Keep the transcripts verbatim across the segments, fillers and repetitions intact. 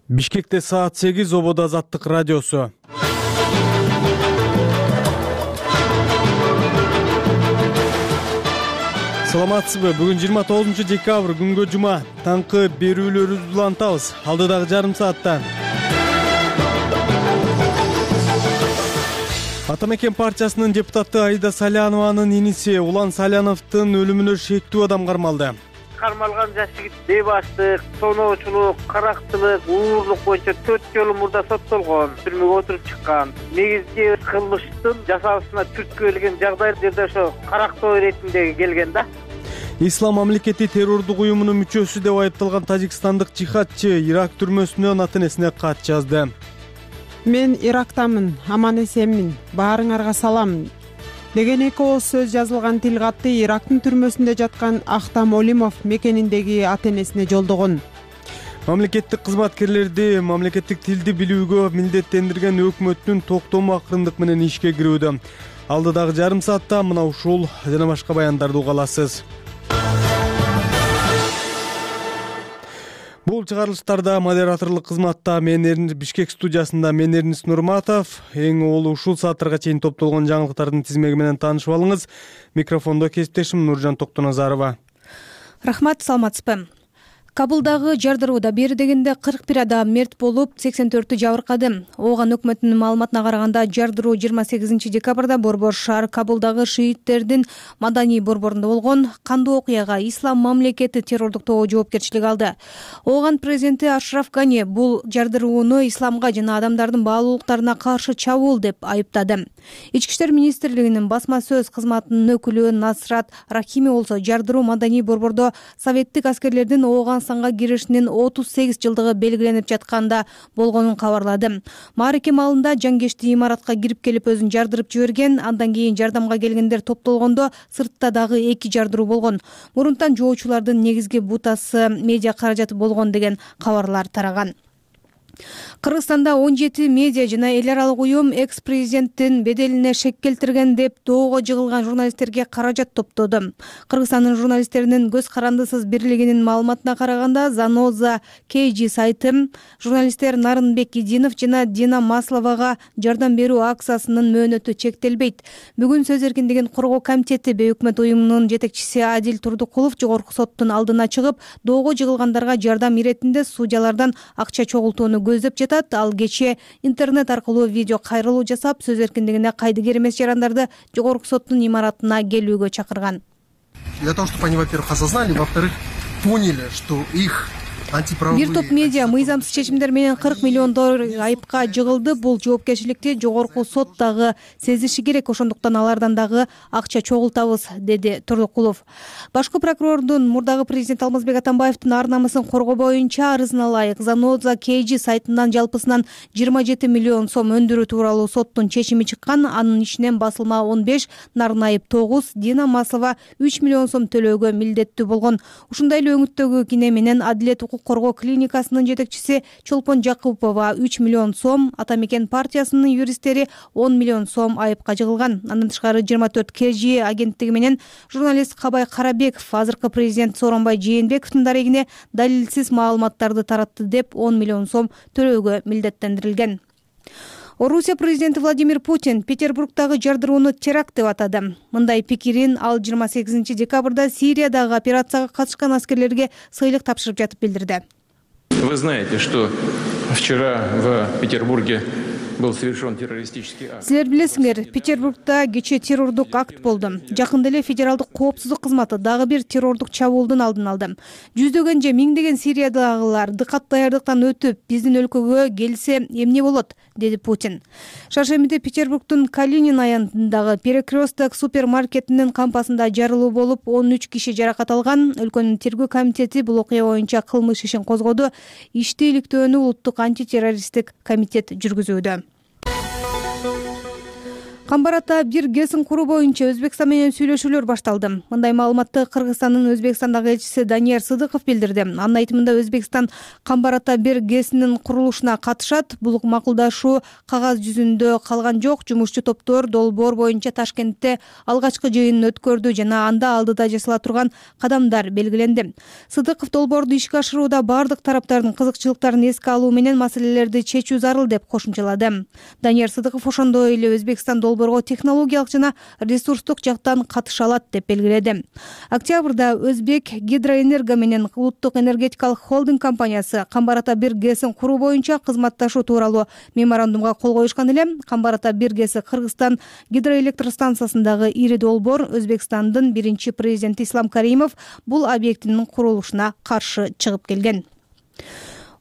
Бишкекте саат сегиз Ободо Азаттык радиосу. Саламатсызбы? Бүгүн жыйырма тогузунчу декабрь күнгө жума. Таңкы берүүлөрүбүздү улантабыз. Алдыдагы жарым саатта Атамекен партиясынын депутаты Аида Салянованын иниси Улан Саляновдун өлүмүнө шектүү адам кармалды. Кармалган жаш жигит бейбаштык, тоноочулук, карактылык, уурлук боюнча төрт жолу мурда соттолгон, түрмөгө отуруп чыккан. Негизги кылмыштын жасалышына түрткү келген жагдайларда ошо карактоо иретинде келген да. Ислам мамлекети террордук уюмунун мүчөсү деп айыпталган тажикстандык жихадчы Ирак түрмөсүнөн ата энесине кат жазды. Мен Ирактамын, аман эсенмин, баарыңарга салам деген эки ооз сөз жазылган тил катты Ирактын түрмөсүндө жаткан Ахтам Олимов мекениндеги ата энесине жолдогон. Мамлекеттик кызматкерлерди мамлекеттик тилди билүүгө милдеттендирген өкмөттүн токтому акырындык менен ишке кирүүдө. Алдыдагы жарым саатта мына ушул жана башка баяндарды уга аласыз. Бул чыгарылыштарда модераторлук кызматта мен Бишкек студиясында мен Эрнис Нурматов. Эң олу ушул сааттарга чейин топтолгон жаңылыктардын тизмеги менен таанышып алыңыз. Микрофондо кесиптешим Нуржан Токтоназарова. Рахмат, саламатсызбы? Кабулдагы жардырууда бери дегенде кырк бир адам мерт болуп, сексен төртү жабыркады. Ооган өкмөтүнүн маалыматына караганда жардыруу жыйырма сегизинчи декабрда Борбор шаар Кабулдагы шииттердин маданий борборунда болгон. Кандуу окуяга Ислам мамлекети террордук тобу жоопкерчилик алды. Ооган президенти Ашраф Гани бул жардырууну исламга жана адамдардын баалуулуктарына каршы чабуул деп айыптады. Ички иштер министрлигинин басма сөз кызматынын өкүлү Насрат Рахими болсо жардыруу маданий борбордо советтик аскерлердин Ооган санга киришинин отуз сегиз жылдыгы белгиленип жатканда болгонун кабарлады. Мааракем малында жангечти имаратка кирип келип өзүн жардырып жиберген. Андан кийин жардамга келгендер топтолгондо сыртта дагы эки жардыруу болгон. Мурунтан жоочулардын негизги бутасы медиа каражаты болгон деген кабарлар тараган. Кыргызстанда он жети медиа жана эл аралык уюм экс-президенттин беделине шек келтирген деп доого жыгылган журналисттерге каражат топтоду. Кыргызстандын журналисттеринин көз карандысыз бирлигинин маалыматына караганда Заноза кей джи сайты журналисттер Нарынбек Идинов жана Дина Масловага жардам берүү акциясынын мөөнөтү чектелбейт. Бүгүн сөз эркиндигин коргоо комитети бейөкмөт уюмунун жетекчиси Адил Турдукулов жогорку соттун алдына чыгып, доого жыгылгандарга жардам иретинде судьялардан акча чогултууну көздөп жатат. Ал кечээ интернет аркылуу видео кайрылуу жасап, сөз эркиндигине кайдыгер эмес жарандарды жогорку соттун имаратына келүүгө чакырган. Для того, чтобы они, во-первых, осознали, во-вторых, поняли, что их Бир топ медиа мыйзамсыз чечимдер менен кырк миллион доллар айыпка жыгылды. Бул жоопкерчиликти жогорку сот дагы сезиши керек, ошондуктан алардан дагы акча чогултабыз, деди Турдукулов. Башкы прокурордун мурдагы президент Алмазбек Атамбаевдин ар намысын коргоо боюнча арызына ылайык Заноза кей джи сайтынан жалпысынан жыйырма жети миллион сом өндүрүү тууралуу соттун чечими чыккан. Анын ичинен басылма он беш, Нарынайып тогуз, Дина Маслова үч миллион сом төлөөгө милдеттүү болгон. Ушундай эле өңүттөгү кине менен Адилет коргоо клиникасынын жетекчиси Чолпон Жакупова үч миллион сом, Атамекен партиясынын юристтери он миллион сом айыпка жыгылган. Андан тышкары жыйырма төрт кей джи агенттиги менен журналист Кабай Карабеков азыркы президент Сооронбай Жээнбековдун дарегине далилсиз маалыматтарды таратты деп он миллион сом төлөөгө милдеттендирилген. Орусия президенти Владимир Путин Петербургдагы жардырууну теракт деп атады. Мындай пикирин ал жыйырма сегизинчи декабрда Сириядагы операцияга катышкан аскерлерге сыйлык тапшырып жатып билдирди. Вы знаете, что вчера в Петербурге был совершен террористический акт. Силер билесиңер, Петербургда кечээ террордук акт болду. Жакында эле федералдык коопсуздук кызматы дагы бир террордук чабуулдун алдын алды. Жүздөгөн же миңдеген Сириядагылар дыкат даярдыктан өтүп биздин өлкөгө келсе эмне болот, деди Путин. Шаршембиде Петербургдун Калинин аянтындагы Перекресток супермаркетинин кампасында жарылуу болуп, он үч киши жаракат алган. Өлкөнүн тергөө комитети бул окуя боюнча кылмыш ишин козгоду. Ишти иликтөөнү улуттук антитеррористтик комитет жүргүзүүдө. Камбар ата бир гэсин куруу боюнча Өзбекстан менен сүйлөшүүлөр башталды. Мындай маалыматты Кыргызстандын Өзбекстандагы элчиси Данияр Сыдыков билдирди. Анын айтымында Өзбекстан Камбар ата бир гэсинин курулушуна катышат. Бул макулдашуу кагаз жүзүндө калган жок. Жумушчу топтор долбоор боюнча Ташкентте алгачкы жыйынын өткөрдү жана анда алдыда жасала турган кадамдар белгиленди. Сыдыков долбоорду ишке ашырууда бардык тараптардын кызыкчылыктарын эске алуу менен маселелерди чечүү зарыл деп кошумчалады. Данияр Сыдыков ошондой эле Өзбекстан долбоорго технологиялык жана ресурстук жактан катыша алат деп белгиледи. Октябрда Өзбек Гидроэнерго менен улуттук энергетикалык холдинг компаниясы Камбар ата бир гэсин куруу боюнча кызматташуу тууралуу меморандумга кол коюшкан эле. Камбар ата бир гэси Кыргызстан гидроэлектростанциясындагы ири долбоор. Өзбекстандын биринчи президенти Ислам Каримов бул объектинин курулушуна каршы чыгып келген.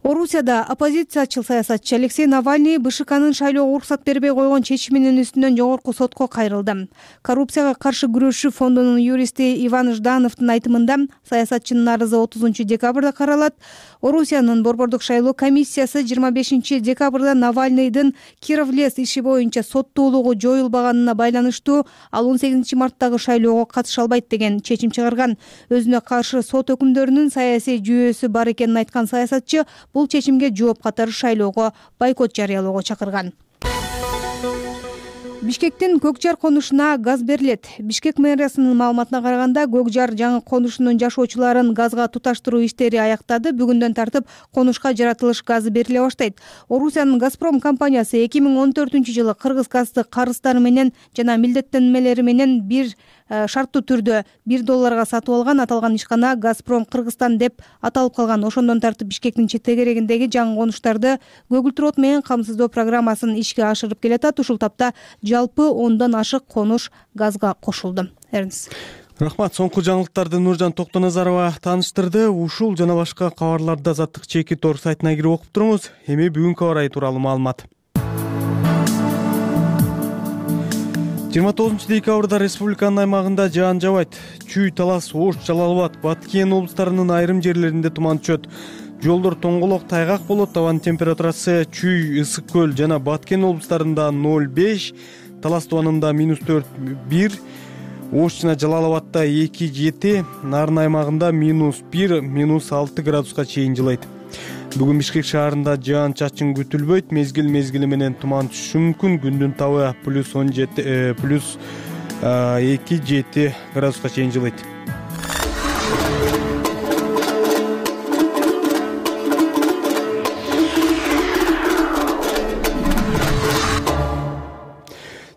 Орусияда оппозициячыл саясатчы Алексей Навальный БШКнын шайлоого уруксат бербей койгон чечиминин үстүнөн жогорку сотко кайрылды. Коррупцияга каршы күрөшүү фондунун юристи Иван Ждановдун айтымында саясатчынын арызы отузунчу декабрда каралат. Орусиянын борбордук шайлоо комиссиясы жыйырма бешинчи декабрда Навальныйдын Кировлес иши боюнча соттуулугу жоюлбаганына байланыштуу ал он сегизинчи марттагы шайлоого катыша албайт деген чечим чыгарган. Өзүнө каршы сот өкүмдөрүнүн саясий жүйөөсү бар экенин айткан саясатчы бул чечимге жооп катары шайлоого бойкот жарыялоого чакырган. Бишкектин Көкжар конушуна газ берилет. Бишкек мэриясынын маалыматына караганда, Көкжар жаңы конушунун жашоочуларын газга туташтыруу иштери аяктады. Бүгүндөн тартып конушка жаратылыш газы бериле баштайт. Орусиянын Газпром компаниясы эки миң он төртүнчү жылы Кыргыз газды карыздары менен жана милдеттенмелери менен бир шарттуу түрдө бир долларга сатып алган. Аталган ишкана Газпром Кыргызстан деп аталып калган. Ошондон тартып Бишкектин четтегерегиндеги жаңы конуштарды көгүлтүр от менен камсыздоо программасын ишке ашырып келатат. Ушул тапта жалпы ондон ашык конуш газга кошулду. Эрнис. Рахмат. Соңку жаңылыктарды Нуржан Токтоназарова тааныштырды. Ушул жана башка кабарларды Азаттык чеки тор сайтына кирип окуп туруңуз. Эми бүгүнкү аба ырайы тууралуу маалымат. жыйырма тогузунчу декабрда республиканын аймагында жаан жаабайт. Чүй, Талас, Ош, Жалал Абад, Баткен облустарынын айрым жерлеринде туман түшөт. Жолдор тоңголок, тайгак болот. Абанын температурасы Чүй, Ысык көл жана Баткен облустарында ноль беш, Талас тубанында минус төрт бир, Ош жана Жалал Абадта эки жети, Нарын аймагында минус бир, минус алты градуска чейин жылайт. Бүгүн Бишкек шаарында жаан чачын күтүлбөйт. Мезгил мезгили менен туман түшүшү мүмкүн. Күндүн табы плюс он жети, плюс эки жети градуска чейин жылайт.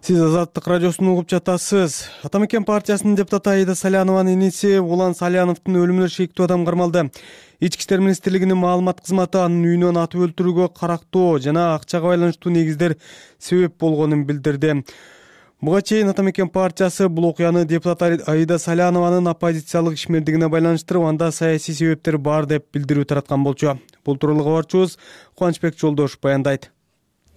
Сиз Азаттык радиосун угуп жатасыз. Атамекен партиясынын депутаты Аида Салянованын иниси Улан Саляновдун өлүмүнө шектүү адам кармалды. Ички иштер министрлигинин маалымат кызматы анын үйүнөн атып өлтүрүүгө карактоо жана акчага байланыштуу негиздер себеп болгонун билдирди. Буга чейин Атамекен партиясы бул окуяны депутат Аида Салянованын оппозициялык ишмердигине байланыштырып, анда саясий себептер бар деп билдирүү тараткан болчу. Бул тууралуу кабарчыбыз Кубанычбек Жолдошов баяндайт.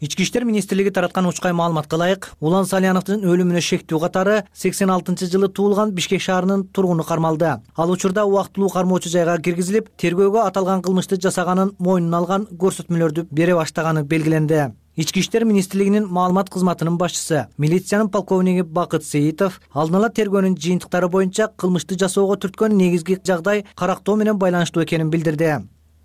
Ички иштер министрлиги тараткан учкай маалыматка ылайык, Улан Саляновдун өлүмүнө шектүү катары сексен алтынчы жылы туулган Бишкек шаарынын тургуну кармалды. Ал учурда убактылуу кармоочу жайга киргизилип, тергөөгө аталган кылмышты жасаганын мойнуна алган көрсөтмөлөрдү бере баштаганы белгиленди. Ички иштер министрлигинин маалымат кызматынын башчысы, милициянын полковниги Бакыт Сейитов алдын ала тергөөнүн жыйынтыктары боюнча кылмышты жасоого түрткөн негизги жагдай карактоо менен байланыштуу экенин билдирди.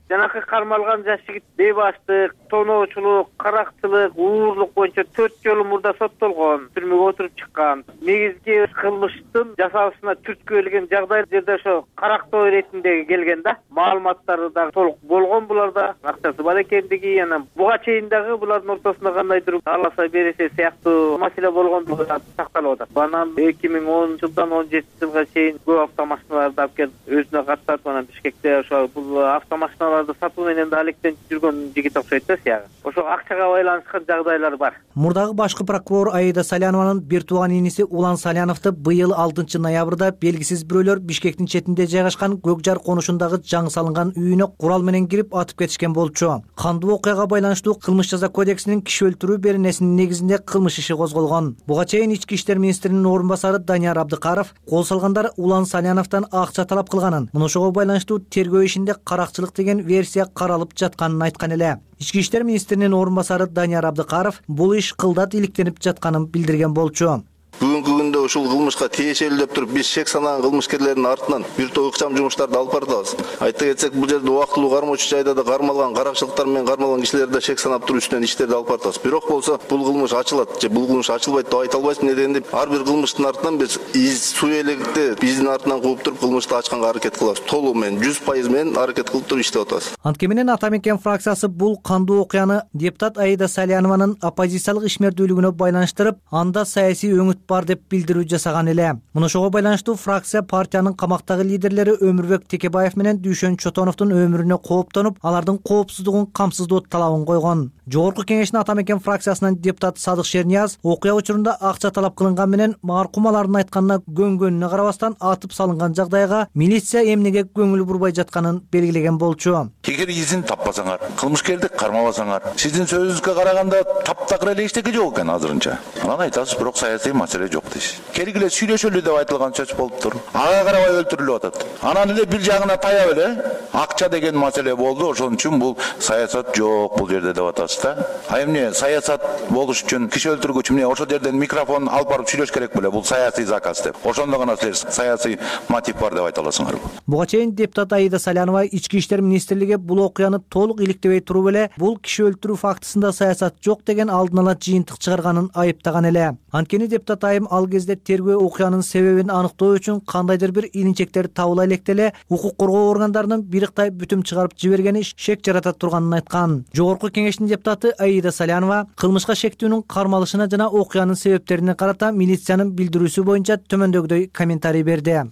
Жанакы кармалган жаш жигит бейбаштык, тоноочулук, каракчылык, уурлук боюнча төрт жолу мурда соттолгон, түрмөгө отуруп чыккан. Негизги кылмыштын жасалышына түрткү келген жагдай жерде ошо карактоо иретинде келген да. Маалыматтары да толук болгон буларда, акчасы бар экендиги, анан буга чейин дагы булардын ортосунда кандайдыр аласа бересе сыяктуу маселе болгондугу сакталып атат. Анан эки миң онунчу жылдан он жетинчи жылга чейин көп автомашиналарды алып келип өзүнө каттап, анан Бишкекте ошо бул автомашиналар сатуу менен да алектенип жүргөн жигит окшойт да сыягы. Ошо акчага байланышкан жагдайлар бар. Мурдагы башкы прокурор Аида Салянованын бир тууган иниси Улан Саляновду быйыл алтынчы ноябрда белгисиз бирөөлөр Бишкектин четинде жайгашкан Көкжар конушундагы жаңы салынган үйүнө курал менен кирип атып кетишкен болчу. Кандуу окуяга байланыштуу кылмыш жаза кодексинин киши өлтүрүү беренесинин негизинде кылмыш иши козголгон. Буга чейин ички иштер министринин орун басары Данияр Абдыкаров кол салгандар Улан Саляновдон акча талап кылганын, мына ошого байланыштуу тергөө ишинде каракчылык деген версия каралып жатканын айткан эле. Ички иштер министринин орун басары Данияр Абдыкаров бул иш кылдат иликтенип жатканын билдирген болчу. Бүгүнкү күндө ушул кылмышка тиешелүү деп туруп биз шек санаган кылмышкерлердин артынан бир топ ыкчам жумуштарды алып баратабыз. Айта кетсек, бул жерде убактылуу кармоочу жайда да кармалган каракчылыктар менен кармалган кишилерди да шек санап туруп үстүнөн иштерди алып баратабыз. Бирок болсо бул кылмыш ачылат же бул кылмыш ачылбайт деп айта албайбыз. Неден ар бир кылмыштын артынан биз из суу элегикти биздин артынан кууп туруп кылмышты ачканга аракет кылабыз. Толугу менен жүз пайыз менен аракет кылып туруп иштеп атабыз. Анткени менен Ата мекен фракциясы бул кандуу окуяны депутат Аида Салянованын оппозициялык ишмердүүлүгүнө байланыштырып, анда саясий өңүт бар деп билдирүү жасаган эле. Муну ошого байланыштуу фракция партиянын камактагы лидерлери Өмүрбек Текебаев менен Дүйшөн Чотоновдун өмүрүнө кооптонуп, алардын коопсуздугун камсыздоо талабын койгон. Жогорку кеңештин Ата мекен фракциясынан депутат Садык Шернияз окуя учурунда акча талап кылынган менен маркум алардын айтканына көнгөнүнө карабастан атып салынган жагдайга милиция эмнеге көңүл бурбай жатканын белгилеген болчу. Эгер изин таппасаңар, кылмышкерди кармабасаңар, сиздин сөзүңүзгө караганда таптакыр эле эчтеке жок экен азырынча. Анан айтасыз, бирок саясий маселе жок дейсиз. Келгиле сүйлөшөлү деп айтылган сөз болуптур. Ага карабай өлтүрүлүп атат. Анан эле бир жагына таяп эле акча деген маселе болду. Ошон үчүн бул саясат жок бул жерде деп атасыз да. А эмне саясат болуш үчүн киши өлтүргүч эмне ошол жерден микрофон алып барып сүйлөш керек беле? Бул саясий заказ деп. Ошондо гана силер саясий мотив бар деп айта аласыңарбы? Буга чейин депутат Аида Салянова Ички иштер министрлиги бул окуяны толук иликтебей туруп эле бул киши өлтүрүү фактысында саясат жок деген алдын ала жыйынтык чыгарганын айыптаган эле. Анткени депутат айым ал кезде тергөө окуянын себебин аныктоо үчүн кандайдыр бир илинчектер табыла электе эле укук коргоо органдарынын бириктай бүтүм чыгарып жибергени шек жарата турганын айткан. Жогорку кеңештин депутаты Аида Салянова кылмышка шектүүнүн кармалышына жана окуянын себептерине карата милициянын билдирүүсү боюнча төмөндөгүдөй комментарий берди.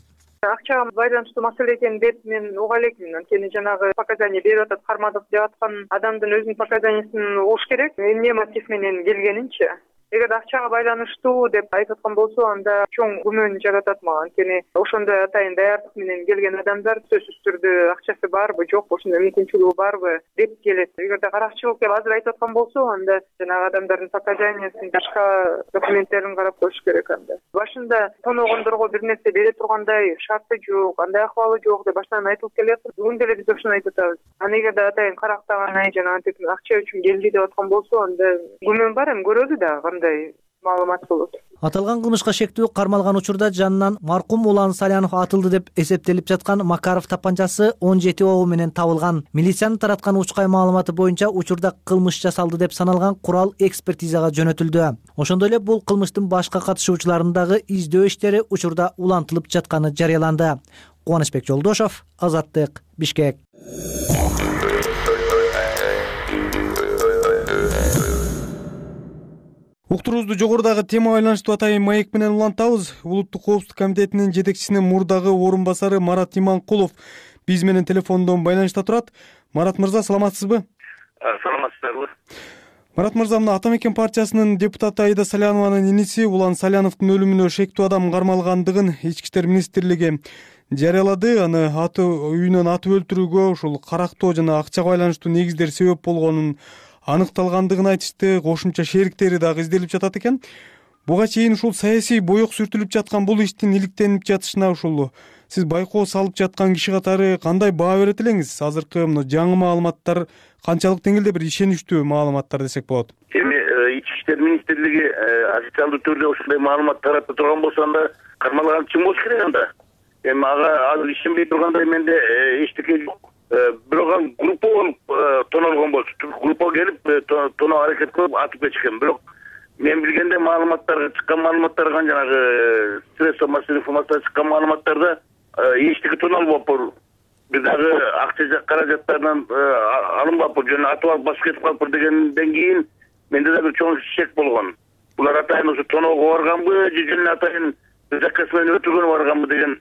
Акчага байланыштуу маселе экенин деп мен уга элекмин. Анткени жанагы показания берип атат, кармадык деп аткан адамдын өзүнүн показаниясын угуш керек. Эмне мотив менен келгенинчи. Эгер акчага байланыштуу деп айтып аткан болсо, анда чоң күмөн жаратат мага. Анткени ошондой атайын даярдык менен келген адамдар сөзсүз түрдө акчасы барбы, жокпу, ошондой мүмкүнчүлүгү барбы деп келет. Эгерде каракчылык деп азыр айтып аткан болсо, анда жанагы адамдардын показаниясын, башка документтерин карап коюш керек анда. Башында тоногондорго бир нерсе бере тургандай шарты жок, андай акыбалы жок деп баштан айтылып келет. Бүгүн деле биз ошону айтып атабыз. Аны эгерде атайын карактаган ай жана антип акча үчүн келди деп аткан болсо, анда күмөн бар, эми көрөлү да кандай маалымат болот. Аталган кылмышка шектүү кармалган учурда жанынан маркум Улан Салянов атылды деп эсептелип жаткан Макаров тапанчасы он жети огу менен табылган. Милициянын тараткан учкай маалыматы боюнча учурда кылмыш жасалды деп саналган курал экспертизага жөнөтүлдү. Ошондой эле бул кылмыштын башка катышуучуларынын дагы издөө иштери учурда улантылып жатканы жарыяланды. Кубанычбек Жолдошов, Азаттык, Бишкек. Уктуруубузду жогорудагы темага байланыштуу атайын маек менен улантабыз. Улуттук коопсуздук комитетинин жетекчисинин мурдагы орун басары Марат Иманкулов биз менен телефондон байланышта турат. Марат мырза, саламатсызбы? Саламатсыздарбы. Марат мырза, мына Ата мекен партиясынын депутаты Аида Салянованын иниси Улан Саляновдун өлүмүнө шектүү адам кармалгандыгын Ички иштер министрлиги жарыялады. Аны аты үйүнөн атып өлтүрүүгө ушул карактоо жана акчага байланыштуу негиздер себеп болгонун аныкталгандыгын айтышты. Кошумча шериктери дагы изделип жатат экен. Буга чейин ушул саясий боек сүртүлүп жаткан бул иштин иликтенип жатышына ушул сиз байкоо салып жаткан киши катары кандай баа берет элеңиз? Азыркы мына жаңы маалыматтар канчалык деңгээлде бир ишеничтүү маалыматтар десек болот? Эми Ички иштер министрлиги официалдуу түрдө ушундай маалымат таратып турган болсо, анда кармалган чын болуш керек анда. Эми ага азыр ишенбей тургандай менде эчтеке жок. Бирок группа болуп тоналган болчу. Группа келип тоноо аракет кылып атып кетишкен. Бирок мен билгенде маалыматтарга чыккан маалыматтарга жанагы средства массовой информацияга чыккан маалыматтарда эчтеке тоналбаптыр. Бир дагы акча каражаттарынан алынбаптыр, жана атып алып басып кетип калыптыр дегенден кийин менде да бир чоң шек болгон. Булар атайын ушу тоноого барганбы, же жана атайын заказ менен өтүргөнү барганбы деген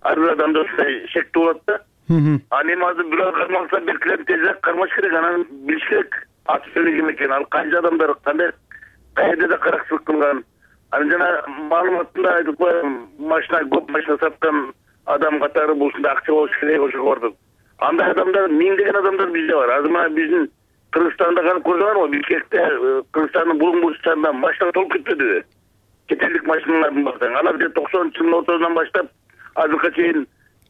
ар бир адамда ушундай шек болот да. Аны эми азыр бирөө кармалса, белгилеп тезирээк кармаш керек, анан билиш керек аты жөнү ким экен, ал канча адамдар кандай кайерде да каракчылык кылган. Анан жана маалыматында айтып коем, машина көп машина саткан адам катары бул ушундай акча болуш керек ошого бардык. Андай адамдар миңдеген адамдар бизде бар. Азыр мына биздин Кыргызстанда канып көрсөңөр, Бишкекте Кыргызстандын булуң бурчтарында машина толуп кетпедиби? Четелдик машиналардын бардыгы. Алар токсонунчу жылдын ортосунан баштап азыркыга чейин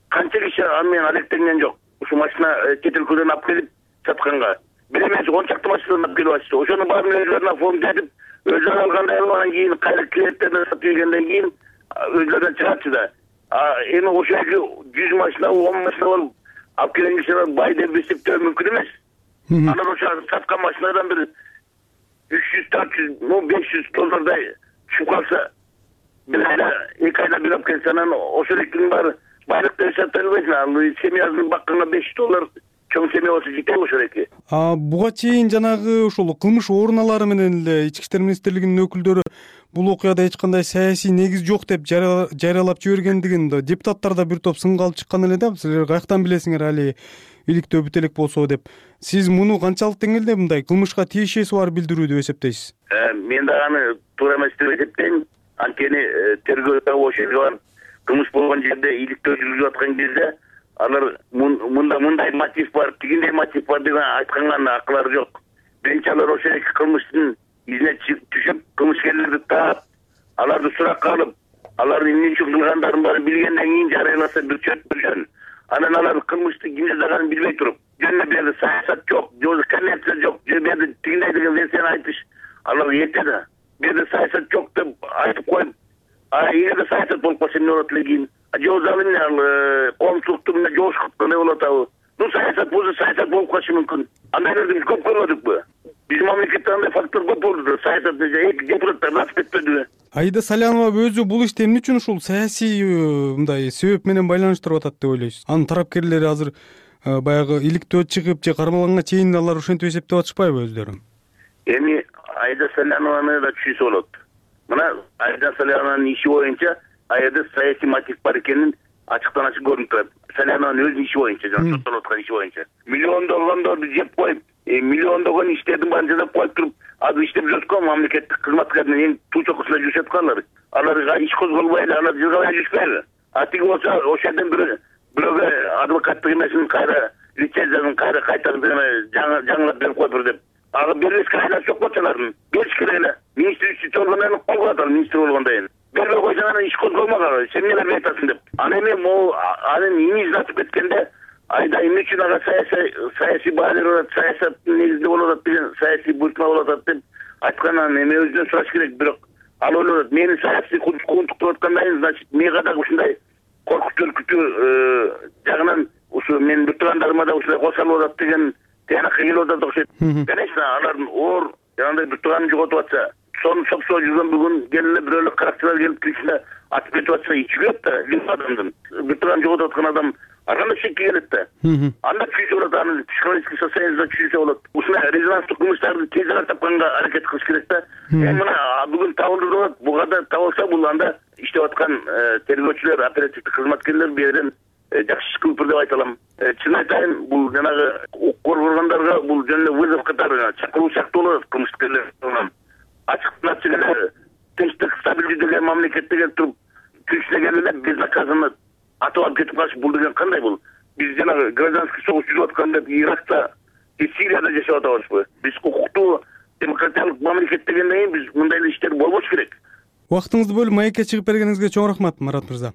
канча киши аны менен алектенген жок. ушу машина чет өлкөдөн алып келип сатканга бир эмес он чакты машинадан алып келип атышты. Ошонун баарын өздөрүнө оформдетип, өздөрү алгандай анан кийин кайра клиенттерден сатып ийгенден кийин өздөрүнөн чыгатчы да. Эми ошо жүз машина, он машина болуп алып келген кишилер бай деп эсептөө мүмкүн эмес. Анан ошо саткан машинадан бир үч жүз, төрт жүз, ну беш жүз доллардай түшүп калса, бир айда, эки айда бир алып келсе, анан ошо экинин баары байлык деп эсептелбейт. Ал семьясын бакканга беш жүз доллар чоң семья болсо жетеби ошо эки. А буга чейин жанагы ошол кылмыш оруналары менен эле Ички иштер министрлигинин өкүлдөрү бул окуяда эч кандай саясий негиз жок деп жарыялап жибергендигин депутаттар да бир топ сынга алып чыккан эле да. Силер каяктан билесиңер али иликтөө бүт элек болсо деп. Сиз муну канчалык деңгээлде мындай кылмышка тиешеси бар билдирүү деп эсептейсиз? Мен да аны туура эмес деп эсептейм. Анткени тергөөдө ошол бар кылмыш болгон жерде иликтөө жүргүзүп аткан кезде алар мында мындай мотив бар, тигиндей мотив бар деген айтканга акылары жок. Биринчи алар ошо эки кылмыштын изине түшүп, кылмышкерлерди таап, аларды суракка алып, алардын эмне үчүн кылгандарын баарын билгенден кийин жарыяласа бир чөт жөн. Анан алар кылмышты ким жасаганын билбей туруп, жөн бир жерде саясат жок, же коммерция жок, же бир жерде тигиндей деген версияны айтыш алар эрте да. Бир жерде саясат жок деп айтып коюп, а эгерде саясат болуп калса эмне болот эле кийин? Жоозалы эмне ал коомчулукту эмне жоош кыткандай болуп атабы? Ну саясат болсо саясат болуп калышы мүмкүн. Андайларды биз көп көрмөдүкпү? Биздин мамлекетте андай фактор көп болду. Саясат эки депутаттар насып кетпедиби? Аида Салянова өзү бул ишти эмне үчүн ушул саясий мындай себеп менен байланыштырып атат деп ойлойсуз? Анын тарапкерлери азыр баягы иликтөө чыгып же кармалганга чейин алар ошентип эсептеп атышпайбы өздөрүн? Эми Аида Салянованы да түшүнсө болот. Мына Аида Салянованын иши боюнча аерде саясий мотив бар экенин ачыктан ачык көрүнүп турат. Салянованын өзүнүн иши боюнча, жана соттолуп аткан иши боюнча. Миллиондогондорду жеп коюп, миллиондогон иштердин баарын жасап коюп туруп, азыр иштеп жүрөткө мамлекеттик кызматкерлер эң туу чокусунда жүрүшөт аткандар. Аларга иш козголбой эле, алар жыргабай жүрүшпөйбү? А тиги болсо ошол жерден бир бирөөгө адвокаттык эмесин кайра лицензиясын кайра кайтарып жаңылап берип коюптур деп. Ага бербеске айласы жок болчу алардын. Бериш керек эле. Министрлик органдарын кол коет ал министр болгондон кийин. Бербей койсоң анан иш козголмаган, сен эмне бербей атасың деп. Анан эми могу анын имиджин атып кеткенде Айда эмне үчүн ага саясий саясий баалер болот, саясаттын негизинде болуп атат деген, саясий буйртма болуп атат деп айткандан эми өзүнөн сураш керек. Бирок ал ойлойт, мени саясий кууntуктап аткандан, значит, мага да ушундай коркуп өлкүтүү жагынан ушу менин биртугандарыма да ушундай кошулуп атат деген тыянакка келип атат окшойт. Конечно, алардын оор жанагындай биртуганын жоготуп атса, сону сопсоо жүргөн бүгүн келе бирөөлөр каракчылар келип киришине атып кетип атса, ичи күйөт да, лип адамдын. Биртуганын жоготуп аткан адам арканда шекке келет да. Анда түшүнсө болот, аны психологический состояниеда түшүнсө болот. Ушундай резонанстык кылмыштарды тезирээк тапканга аракет кылыш керек да. Эми мына бүгүн табылды деп атат, буга да табылса, бул анда иштеп аткан тергөөчүлөр, оперативдик кызматкерлер бул жерден жакшы иш кылыптыр деп айта алам. Чын айтайын, бул жанагы укук органдарга бул жөн эле вызов катары чакыруу сыяктуу болот кылмышкерлер тарабынан. Ачыктан ачык эле тынчтык, стабилдүү деген мамлекетте келип туруп, күчүнө келип эле безнаказанно атып алып кетип калыш, бул деген кандай бул? Биз жанагы гражданский согуш жүрүп аткан деп Иракта, Сирияда жашап атабызбы? Биз укуктуу демократиялык мамлекет дегенден кийин биз мындай эле иштер болбош керек. Убактыңызды бөлүп маекке чыгып бергениңизге чоң рахмат, Марат мырза.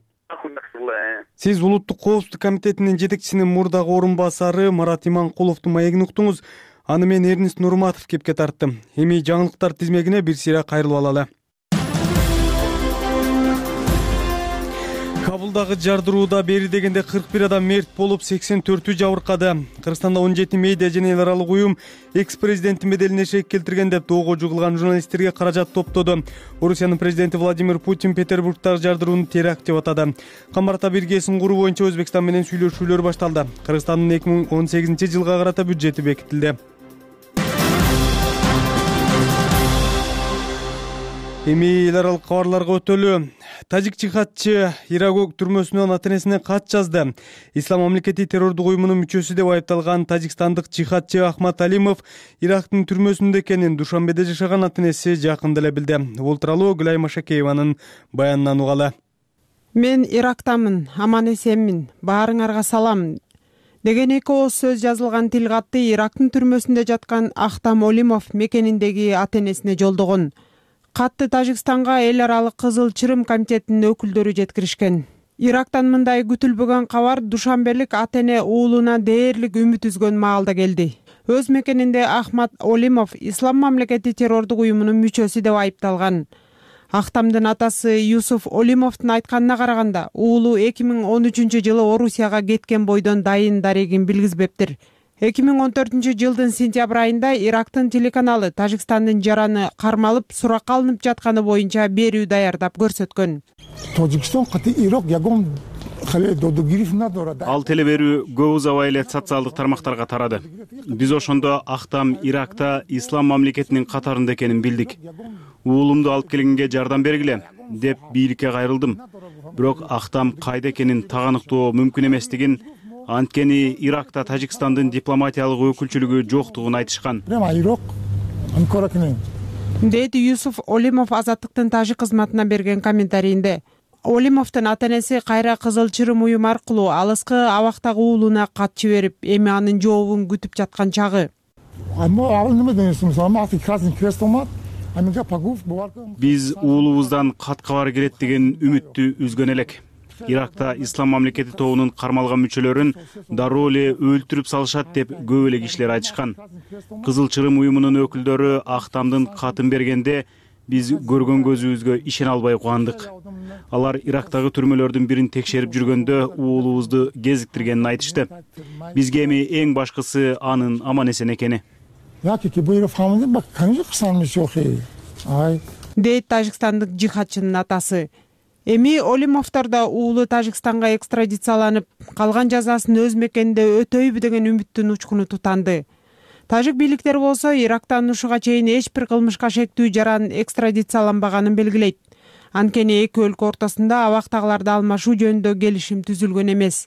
Сиз Улуттук коопсуздук комитетинин жетекчисинин мурдагы орун басары Марат Иманкуловдун маегин уктуңуз. Аны мен Эрнест Нурматов кепке тарттым. Эми жаңылыктар тизмегине бир сыйра кайрылып алалы. Кабулдагы жардырууда бери дегенде кырк бир адам мерт болуп, сексен төртү жабыркады. Кыргызстанда он жети медиа жана эл аралык уюм экс-президенттин беделине шек келтирген деп доого жугулган журналисттерге каражат топтоду. Орусиянын президенти Владимир Путин Петербургдагы жардырууну теракт деп атады. Камбарта биргесин куруу боюнча Өзбекстан менен сүйлөшүүлөр башталды. Кыргызстандын эки миң он сегизинчи жылга карата бюджети бекитилди. Эми эл аралык кабарларга өтөлү. Тажик жихадчы Ирак түрмөсүнөн ата-энесине кат жазды. Ислам мамлекети террордук уюмунун мүчөсү деп айыпталган тажикстандык жихадчы Ахмат Алимов Ирактын түрмөсүндө экенин Душанбеде жашаган ата-энеси жакында эле билди. Бул тууралуу Гүлай Машакееванын баянынан угалы. Мен Ирактамын, аман эсенмин, баарыңарга салам деген эки ооз сөз жазылган тил катты Ирактын түрмөсүндө жаткан Ахтам Олимов мекениндеги ата-энесине жолдогон. Катты Тажикстанга эл аралык Кызыл Чырым комитетинин өкүлдөрү жеткиришкен. Ирактан мындай күтүлбөгөн кабар душанбелик ата эне уулуна дээрлик үмүт үзгөн маалда келди. Өз мекенинде Ахмат Олимов ислам мамлекети террордук уюмунун мүчөсү деп айыпталган. Ахтамдын атасы Юсуф Олимовдун айтканына караганда, уулу эки миң он үчүнчү жылы Орусияга кеткен бойдон дайын дарегин билгизбептир. эки миң он төртүнчү жылдын сентябрь айында Ирактын телеканалы Тажикстандын жараны кармалып суракка алынып жатканы боюнча берүү даярдап көрсөткөн. Ал телеберүү көп узабай эле социалдык тармактарга тарады. Биз ошондо Ахтам Иракта ислам мамлекетинин катарында экенин билдик. Уулумду алып келгенге жардам бергиле деп бийликке кайрылдым. Бирок Ахтам кайда экенин таганыктоо мүмкүн эместигин, анткени Иракта Тажикстандын дипломатиялык өкүлчүлүгү жоктугун айтышкан. Дейт Юсуф Олимов Азаттыктын тажик кызматына берген комментарийинде. Олимовдун ата энеси кайра Кызыл Чырым уюм аркылуу алыскы абактагы уулуна кат жиберип, эми анын жообун күтүп жаткан чагы. Биз уулубуздан кат кабар келет деген үмүттү үзгөн элек. Иракта ислам мамлекети тобунун кармалган мүчөлөрүн дароо эле өлтүрүп салышат деп көп эле кишилер айтышкан. Кызыл Чырым уюмунун өкүлдөрү Ахтамдын катын бергенде биз көргөн көзүбүзгө ишене албай кубандык. Алар Ирактагы түрмөлөрдүн бирин текшерип жүргөндө уулубузду кезиктиргенин айтышты. Бизге эми эң башкысы анын аман эсен экени. Дейт тажикстандык жихадчынын атасы. Эми Олимовдор да уулу Тажикстанга экстрадицияланып, калган жазасын өз мекенинде өтөйбү деген үмүттүн учкуну тутанды. Тажик бийликтери болсо Ирактан ушуга чейин эч бир кылмышка шектүү жаран экстрадицияланбаганын белгилейт. Анткени эки өлкө ортосунда абактагыларды алмашуу жөнүндө келишим түзүлгөн эмес.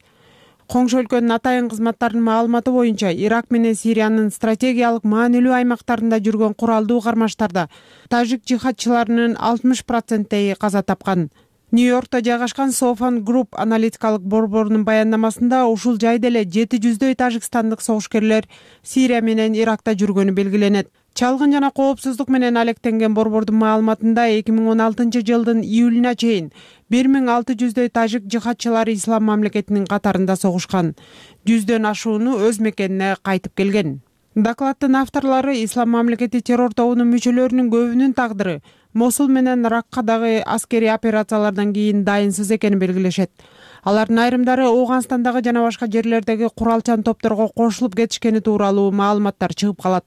Коңшу өлкөнүн атайын кызматтарынын маалыматы боюнча, Ирак менен Сириянын стратегиялык маанилүү аймактарында жүргөн куралдуу кармаштарда тажик жихадчыларынын алтымыш проценти каза тапкан. Нью-Йоркто жайгашкан Софан Групп аналитикалык борборунун баяндамасында ушул жайда эле жети жүздөй тажикстандык согушкерлер Сирия менен Иракта жүргөнү белгиленет. Чалгын жана коопсуздук менен алектенген борбордун маалыматында эки миң он алтынчы жылдын июлуна чейин бир миң алты жүздөй тажик жихадчылары ислам мамлекетинин катарында согушкан. Жүздөн ашууну өз мекенине кайтып келген. Докладдын авторлору ислам мамлекети террор тобунун мүчөлөрүнүн көбүнүн тагдыры Мосул менен Раккадагы аскерий операциялардан кийин дайынсыз экенин белгилешет. Алардын айрымдары Ооганстандагы жана башка жерлердеги куралчан топторго кошулуп кетишкени тууралуу маалыматтар чыгып калат.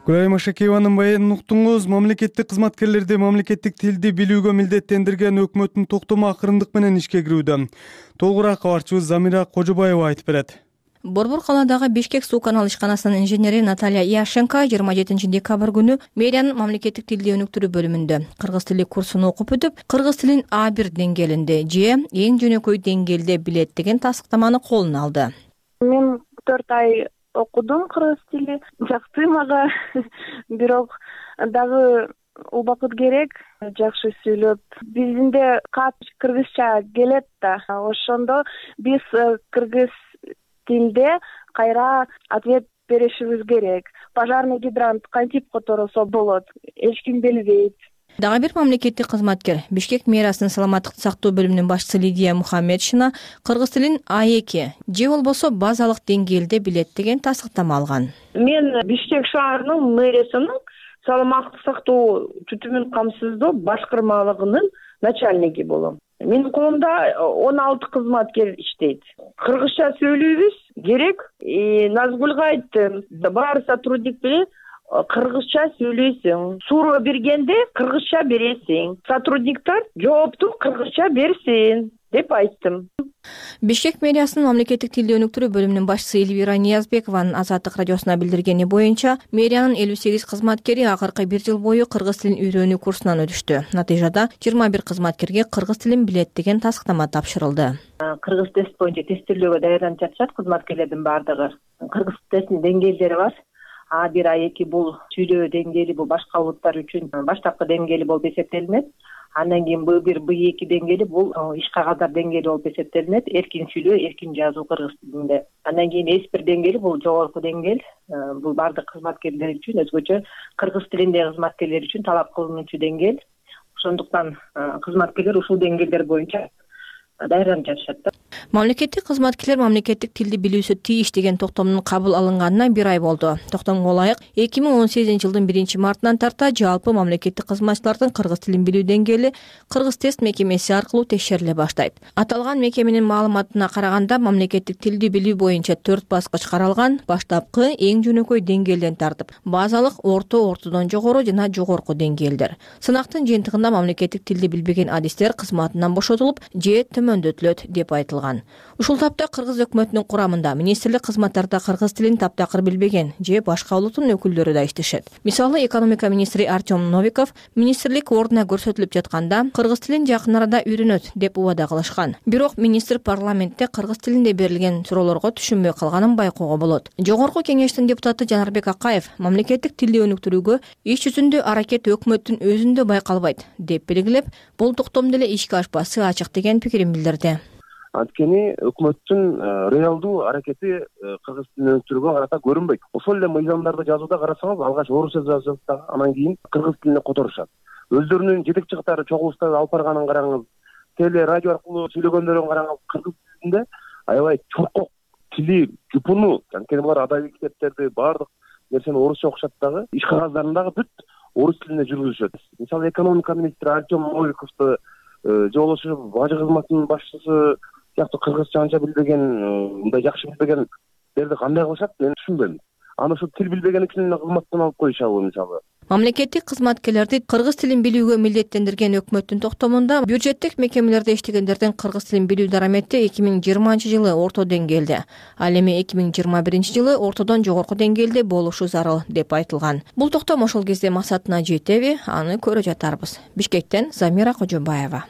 Гүлайым Ашакееванын баянын уктуңуз. Мамлекеттик кызматкерлерди мамлекеттик тилди билүүгө милдеттендирген өкмөттүн токтому акырындык менен ишке кирүүдө. Толугураак кабарчыбыз Замира Кожобаева айтып берет. Борбор калаадагы Бишкек суу канал ишканасынын инженери Наталья Яшенко жыйырма жетинчи декабрь күнү мэриянын мамлекеттик тилди өнүктүрүү бөлүмүндө кыргыз тили курсун окуп өтүп, кыргыз тилин А бир деңгээлинде же эң жөнөкөй деңгээлде билет деген тастыктаманы колуна алды. Мен төрт ай окудум кыргыз тили, жакты мага, бирок дагы убакыт керек, жакшы сүйлөп. Бизде кат кыргызча келет да, ошондо биз кыргыз тилде кайра ответ беришибиз керек. Пожарный гидрант кантип которосо болот, эч ким билбейт. Дагы бир мамлекеттик кызматкер Бишкек мэриясынын саламаттыкты сактоо бөлүмүнүн башчысы Лидия Мухаммедшина кыргыз тилин А эки же болбосо базалык деңгээлде билет деген тастыктама алган. Мен Бишкек шаарынын мэриясынын саламаттык сактоо түтүмүн камсыздоо башкармалыгынын начальниги болом. Менин колумда он алты кызматкер иштейт. Кыргызча сүйлөйбүз керек. Назгүлгө айттым, баары сотрудник менен кыргызча сүйлөйсүң. Суроо бергенде кыргызча бересиң. Сотрудниктер жоопту кыргызча берсин деп айттым. Бишкек мэриясынын мамлекеттик тилди өнүктүрүү бөлүмүнүн башчысы Эльвира Ниязбекованын Азаттык радиосуна билдиргени боюнча, мэриянын элүү сегиз кызматкери акыркы бир жыл бою кыргыз тилин үйрөнүү курсунан өтүштү. Натыйжада жыйырма бир кызматкерге кыргыз тилин билет деген тастыктама тапшырылды. Кыргыз тест боюнча тестирлөөгө даярданып жатышат кызматкерлердин баардыгы. Кыргыз тестинин деңгээлдери бар. А бир А эки бул сүйлөө деңгээли, бул башка улуттар үчүн баштапкы деңгээли болуп эсептелинет. Андан кийин Б бир Б эки деңгээли бул иш кагадар деңгээли болуп эсептелинет. Эркин сүйлөө, эркин жазуу кыргыз тилинде. Андан кийин С бир деңгээли бул жогорку деңгээл. Бул бардык кызматкерлер үчүн өзгөчө кыргыз тилиндеги кызматкерлер үчүн талап кылынуучу деңгээл. ошондуктан кызматкерлер ушул деңгээлдер боюнча даярданып жатышат да. Мамлекеттик кызматкерлер мамлекеттик тилди билүүсү тийиш деген токтомдун кабыл алынганына бир ай болду. Токтомго ылайык эки миң он сегизинчи жылдын биринчи мартынан тарта жалпы мамлекеттик кызматчылардын кыргыз тилин билүү деңгээли Кыргыз тест мекемеси аркылуу текшериле баштайт. Аталган мекеменин маалыматына караганда мамлекеттик тилди билүү боюнча төрт баскыч каралган. Баштапкы эң жөнөкөй деңгээлден тартып, базалык, орто, ортодон жогору жана жогорку деңгээлдер. Сынактын жыйынтыгында мамлекеттик тилди билбеген адистер кызматынан бошотулуп же төмөндөтүлөт деп айтылган. Ушул тапта Кыргыз өкмөтүнүн курамында министрлик кызматтарда кыргыз тилин таптакыр билбеген же башка улуттун өкүлдөрү да иштешет. Мисалы, экономика министри Артем Новиков министрлик ордуна көрсөтүлүп жатканда кыргыз тилин жакын арада үйрөнөт деп убада кылышкан. Бирок министр парламентте кыргыз тилинде берилген суроолорго түшүнбөй калганын байкоого болот. Жогорку кеңештин депутаты Жанарбек Акаев мамлекеттик тилди өнүктүрүүгө иш жүзүндө аракет өкмөттүн өзүндө байкалбайт деп белгилеп, бул токтом деле ишке ашпасы ачык деген пикирин билдирди. Анткени өкмөттүн реалдуу аракети кыргыз тилин өнүктүрүүгө карата көрүнбөйт. Ошол эле мыйзамдарды жазууда карасаңыз, алгач орусча жазышат да, анан кийин кыргыз тилине которушат. Өздөрүнүн жетекчи катары чогулуштарды алып барганын караңыз, теле, радио аркылуу сүйлөгөндөрүн караңыз, кыргыз тилинде аябай чуркок тили, жупуну, анткени булар адабий китептерди, баардык нерсени орусча окушат дагы, иш кагаздарын дагы бүт орус тилинде жүргүзүшөт. Мисалы, экономика министри Артем Новиковду же болбосо бажы кызматынын башчысы сыяктуу кыргызча анча билбеген, мындай жакшы билбегендерди кандай кылышат, мен түшүнбөйм. Аны ошо тил билбеген үчүн эле кызматтан алып коюшабы мисалы? Мамлекеттик кызматкерлерди кыргыз тилин билүүгө милдеттендирген өкмөттүн токтомунда бюджеттик мекемелерде иштегендердин кыргыз тилин билүү дарамети эки миң жыйырманчы жылы орто деңгээлде, ал эми эки миң жыйырма биринчи жылы ортодон жогорку деңгээлде болушу зарыл деп айтылган. Бул токтом ошол кезде максатына жетеби, аны көрө жатарбыз. Бишкектен Замира Кожобаева.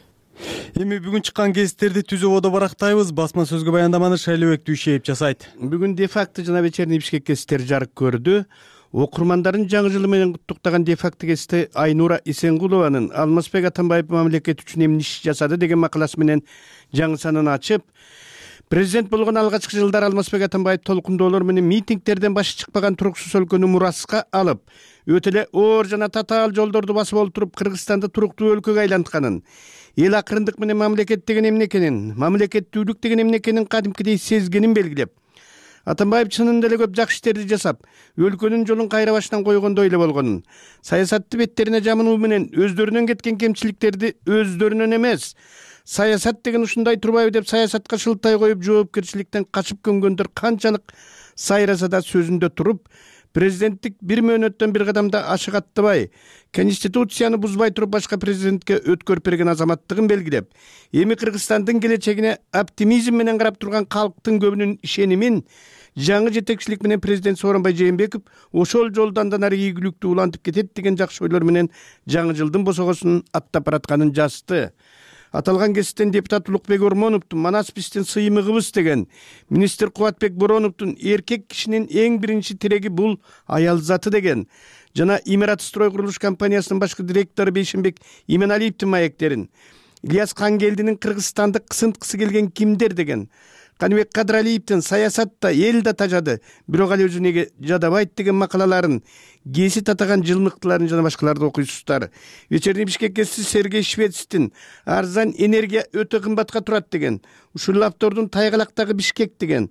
Эми бүгүн чыккан гезиттерди түз ободо барактайбыз. Басма сөзгө баяндаманы Шайлыбек Дүйшеев жасайт. Бүгүн де-факто жана вечерний Бишкек гезиттери жарык көрдү. Окурмандарын жаңы жылы менен куттуктаган де-факто гезити Айнура Исенгулованын Алмазбек Атамбаев мамлекет үчүн эмне иш жасады деген макаласы менен жаңы санын ачып, президент болгон алгачкы жылдары Алмазбек Атамбаев толкундоолор менен митингтерден башы чыкпаган туруксуз өлкөнү мураска алып, өтө эле оор жана татаал жолдорду басып олтуруп Кыргызстанды туруктуу өлкөгө айлантканын, эл акырындык менен мамлекет деген эмне экенин, мамлекеттүүлүк деген эмне экенин кадимкидей сезгенин белгилеп, Атамбаев чынында эле көп жакшы иштерди жасап, өлкөнүн жолун кайра баштан койгондой эле болгонун, саясатты беттерине жамынуу менен өздөрүнөн кеткен кемчиликтерди өздөрүнөн эмес, саясат деген ушундай турбайбы деп саясатка шылтай коюп, жоопкерчиликтен качып көнгөндөр канчалык сайраса да сөзүндө туруп, президенттик бир мөөнөттөн бир кадамда ашыгаттабай, конституцияны бузбай туруп башка президентке өткөрүп берген азаматтыгын белгилеп, эми Кыргызстандын келечегине оптимизм менен карап турган калктын көбүнүн ишенимин жаңы жетекчилик менен президент Сооронбай Жээнбеков ошол жолду андан ары ийгиликтүү улантып кетет деген жакшы ойлор менен жаңы жылдын босогосун аттап баратканын жазды. Аталган гезиттен депутат Улукбек Ормоновдун Манас биздин сыймыгыбыз деген, министр Кубатбек Бороновдун эркек кишинин эң биринчи тиреги бул аял заты деген, жана Имарат строй курулуш компаниясынын башкы директору Бейшенбек Именалиевдин маектерин, Ильяс Кангелдинин Кыргызстанды кысынткысы келген кимдер деген, Каныбек Кадыралиевдин саясатта эл да тажады, бирок ал өзү неге жадабайт деген макалаларын, гезит атаган жылмыктыларын жана башкаларды окуйсуздар. Вечерний Бишкек гезити Сергей Швецтин арзан энергия өтө кымбатка турат деген, ушул автордун Тайгалактагы Бишкек деген,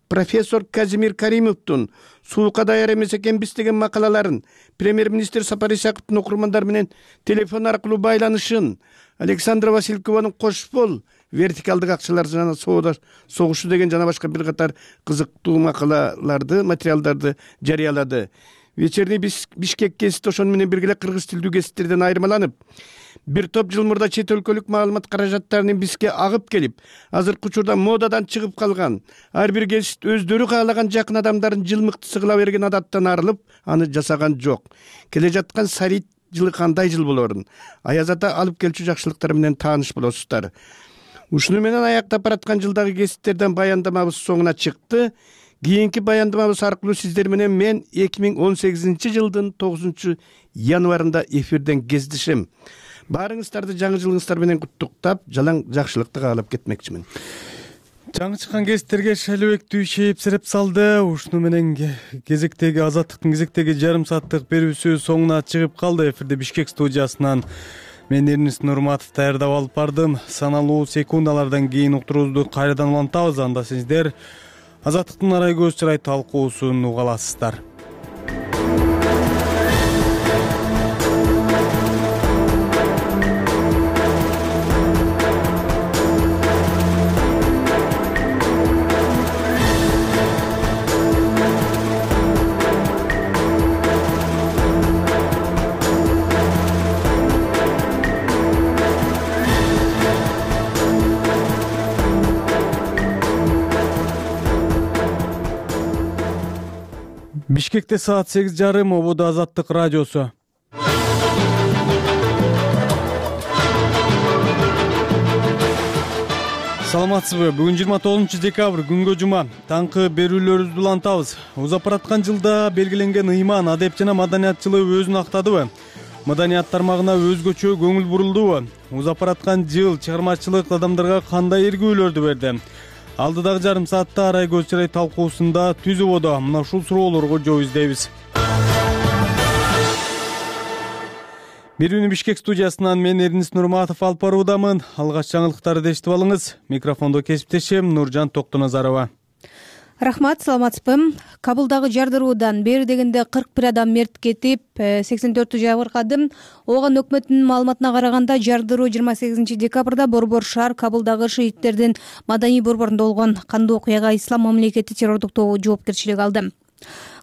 профессор Казимир Каримовдун суука даяр эмес экенбиз деген макалаларын, премьер-министр Сапар Исаковдун окурмандар менен телефон аркылуу байланышын, Александра Василькованын Кош бол, вертикалдык акчалар жана соода согушу деген жана башка бир катар кызыктуу макалаларды, материалдарды жарыялады. Вечерний Бишкек гезити ошону менен бирге эле кыргыз тилдүү гезиттерден айырмаланып, бир топ жыл мурда чет өлкөлүк маалымат каражаттарынын бизге агып келип, азыркы учурда модадан чыгып калган, ар бир гезит өздөрү каалаган жакын адамдарын жылмыктысы кыла берген адаттан арылып, аны жасаган жок. Келе жаткан Сарит жылы кандай жыл болорун, Аяз ата алып келчү жакшылыктар менен тааныш болосуздар. Ушуну менен аяктап бараткан жылдагы гезиттерден баяндамабыз соңуна чыкты. Кийинки баяндамабыз аркылуу сиздер менен мен эки миң он сегизинчи жылдын тогузунчу январында эфирден кездешем. Баарыңыздарды жаңы жылыңыздар менен куттуктап, жалаң жакшылыкты каалап кетмекчимин. Жаңы чыккан гезиттерге Шайлыбек Дүйшеев сереп салды. Ушуну менен кезектеги Азаттыктын кезектеги жарым сааттык берүүсү соңуна чыгып калды. Эфирде Бишкек студиясынан Мен Эрнис Нурматов даярдап алып бардым. Саналуу секундалардан кийин уктуруубузду кайрадан улантабыз. Анда сиздер Азаттыктын арай көз чырай талкуусун уга аласыздар. Бишкекте саат сегиз жарым, ободо Азаттык радиосу. Саламатсызбы? Бүгүн жыйырма тогузунчу декабрь, күнгө жума. Таңкы берүүлөрүбүздү улантабыз. Узап бараткан жылда белгиленген ыйман, адеп жана маданият жылы өзүн актадыбы? Маданият тармагына өзгөчө көңүл бурулдубу? Узап бараткан жыл чыгармачылык адамдарга кандай эргүүлөрдү берди? Алдыдагы жарым саатта арай көз чырай талкуусунда түз ободо мына ушул суроолорго жооп издейбиз. Берүүнү Бишкек студиясынан мен Эрнис Нурматов алып баруудамын. Алгач жаңылыктарды эшитип алыңыз. Микрофондо кесиптешим Нуржан Токтоназарова. Рахмат, саламатсызбы? Кабылдагы жардыруудан бери дегенде кырк бир адам мерт кетип, сексен төртү жабыркады. Ооган өкмөттүнүн маалыматына караганда, жардыруу жыйырма сегизинчи декабрда Борбор шаар Кабылдагы шииттердин маданий борборунда болгон. Кандуу окуяга Ислам мамлекети террордук тобу жоопкерчилик алды.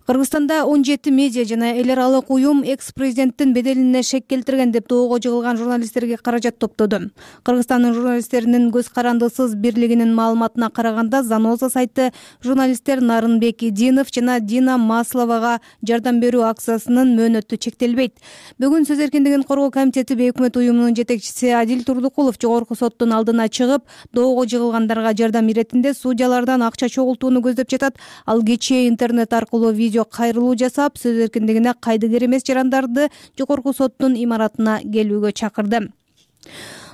Кыргызстанда он жети медиа жана эл аралык уюм экс-президенттин беделине шек келтирген деп доого жыгылган журналисттерге каражат топтоду. Кыргызстандын журналисттеринин көз карандысыз бирлигинин маалыматына караганда, Заноза сайты журналисттер Нарынбек Идинов жана Дина Масловага жардам берүү акциясынын мөөнөтү чектелбейт. Бүгүн Сөз эркиндигин коргоо комитети бейөкмөт уюмунун жетекчиси Адил Турдукулов жогорку соттун алдына чыгып, доого жыгылгандарга жардам иретинде судьялардан акча чогултууну көздөп жатат. Ал кечээ интернет аркылуу видео кайрылуу жасап, сөз эркиндигине кайдыгер эмес жарандарды жогорку соттун имаратына келүүгө чакырды.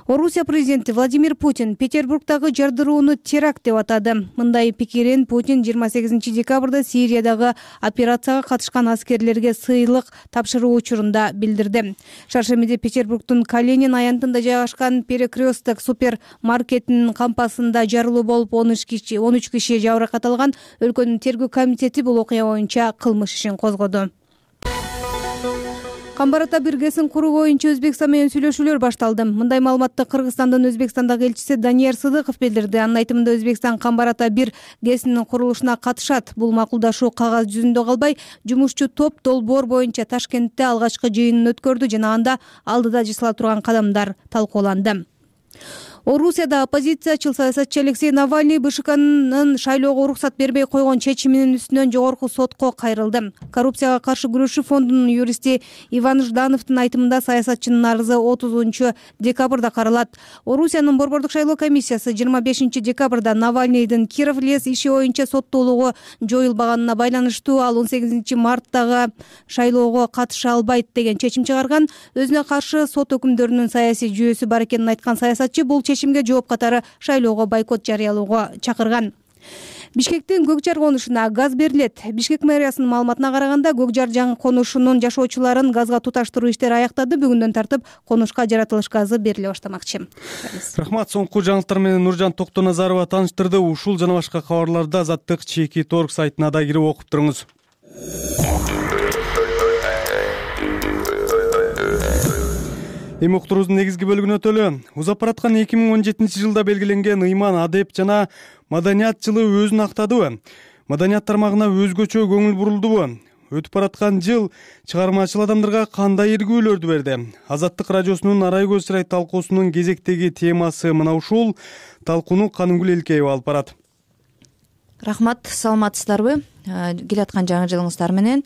Орусия президенти Владимир Путин Петербургдагы жардырууну теракт деп атады. Мындай пикирин Путин жыйырма сегизинчи декабрда Сириядагы операцияга катышкан аскерлерге сыйлык тапшыруу учурунда билдирди. Шаршемиде Петербургдун Калинин аянтында жайгашкан Перекресток супермаркетинин кампасында жарылуу болуп, он үч киши жабыркат алган. Өлкөнүн тергөө комитети бул окуя боюнча кылмыш ишин козгоду. Камбарата биргесин куруу боюнча Өзбекстан менен сүйлөшүүлөр башталды. Мындай маалыматты Кыргызстандын Өзбекстандагы элчиси Данияр Сыдыков билдирди. Анын айтымында, Өзбекстан Камбарата бир гэсинин курулушуна катышат. Бул макулдашуу кагаз жүзүндө калбай, жумушчу топ долбоор боюнча Ташкентте алгачкы жыйынын өткөрдү жана анда алдыда жасала турган кадамдар талкууланды. Орусияда оппозициячыл саясатчы Алексей Навальный БШКнын шайлоого уруксат бербей койгон чечиминин үстүнөн жогорку сотко кайрылды. Коррупцияга каршы күрөшүү фондунун юристи Иван Ждановдун айтымында, саясатчынын арызы отузунчу декабрда каралат. Орусиянын борбордук шайлоо комиссиясы жыйырма бешинчи декабрда Навальныйдын Киров лес иши боюнча соттуулугу жоюлбаганына байланыштуу ал он сегизинчи марттагы шайлоого катыша албайт деген чечим чыгарган. Өзүнө каршы сот өкүмдөрүнүн саясий жүйөсү бар экенин айткан саясатчы бул чечимге жооп катары шайлоого бойкот жарыялоого чакырган. Бишкектин көк жар конушуна газ берилет. Бишкек мэриясынын маалыматына караганда, көк жар жаңы конушунун жашоочуларын газга туташтыруу иштери аяктады. Бүгүндөн тартып конушка жаратылыш газы бериле баштамакчы. Рахмат. Соңку жаңылыктар менен Нуржан Токтоназарова тааныштырды. Ушул жана башка кабарларды Азаттык чеки торг сайтына да кирип окуп туруңуз. Эми уктуруубуздун негизги бөлүгүнө өтөлү. Узап бараткан эки миң он жетинчи жылда белгиленген ыйман, адеп жана маданият жылы өзүн актадыбы? Маданият тармагына өзгөчө көңүл бурулдубу? Өтүп бараткан жыл чыгармачыл адамдарга кандай эргүүлөрдү берди? Азаттык радиосунун арай көз чырай талкуусунун кезектеги темасы мына ушул. Талкууну Канымгүл Элкеева алып барат. Рахмат, саламатсыздарбы? Келаткан жаңы жылыңыздар менен.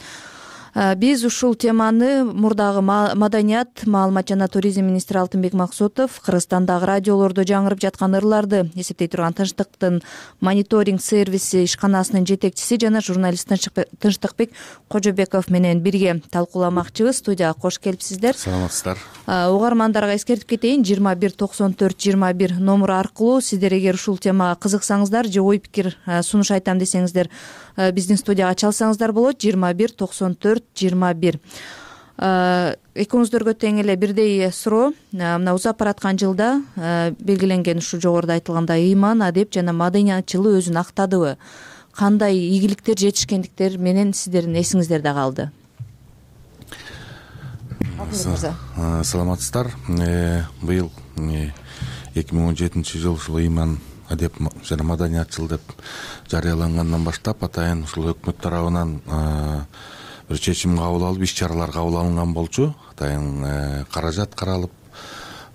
Биз ушул теманы мурдагы маданият, маалымат жана туризм министри Алтынбек Максутов Кыргызстандагы радиолордо жаңырып жаткан ырларды эсептей турган Тынчтыктын мониторинг сервиси ишканасынын жетекчиси жана журналист Тынчтыкбек Кожобеков менен бирге талкууламакчыбыз. Студияга кош келипсиздер. Саламатсыздар. Угармандарга эскертип кетейин, жыйырма бир токсон төрт жыйырма бир номуру аркылуу сиздер эгер ушул темага кызыксаңыздар же ой пикир сунуш айтам десеңиздер, биздин студияга чалсаңыздар болот. жыйырма бир токсон төрт жыйырма бир. экөөңүздөргө тең эле бирдей суроо. Мына узап бараткан жылда белгиленген ушул жогоруда айтылгандай ыйман, адеп жана маданиятчылык өзүн актадыбы? Кандай ийгиликтер, жетишкендиктер менен сиздердин эсиңиздерде калды? Саламатсыздар. Быйыл эки миң он жетинчи жыл ушул ыйман, адеп жана маданиятчыл деп жарыялангандан баштап атайын ушул өкмөт тарабынан бир чечим кабыл алып, иш чаралар кабыл алынган болчу. Атайын каражат каралып.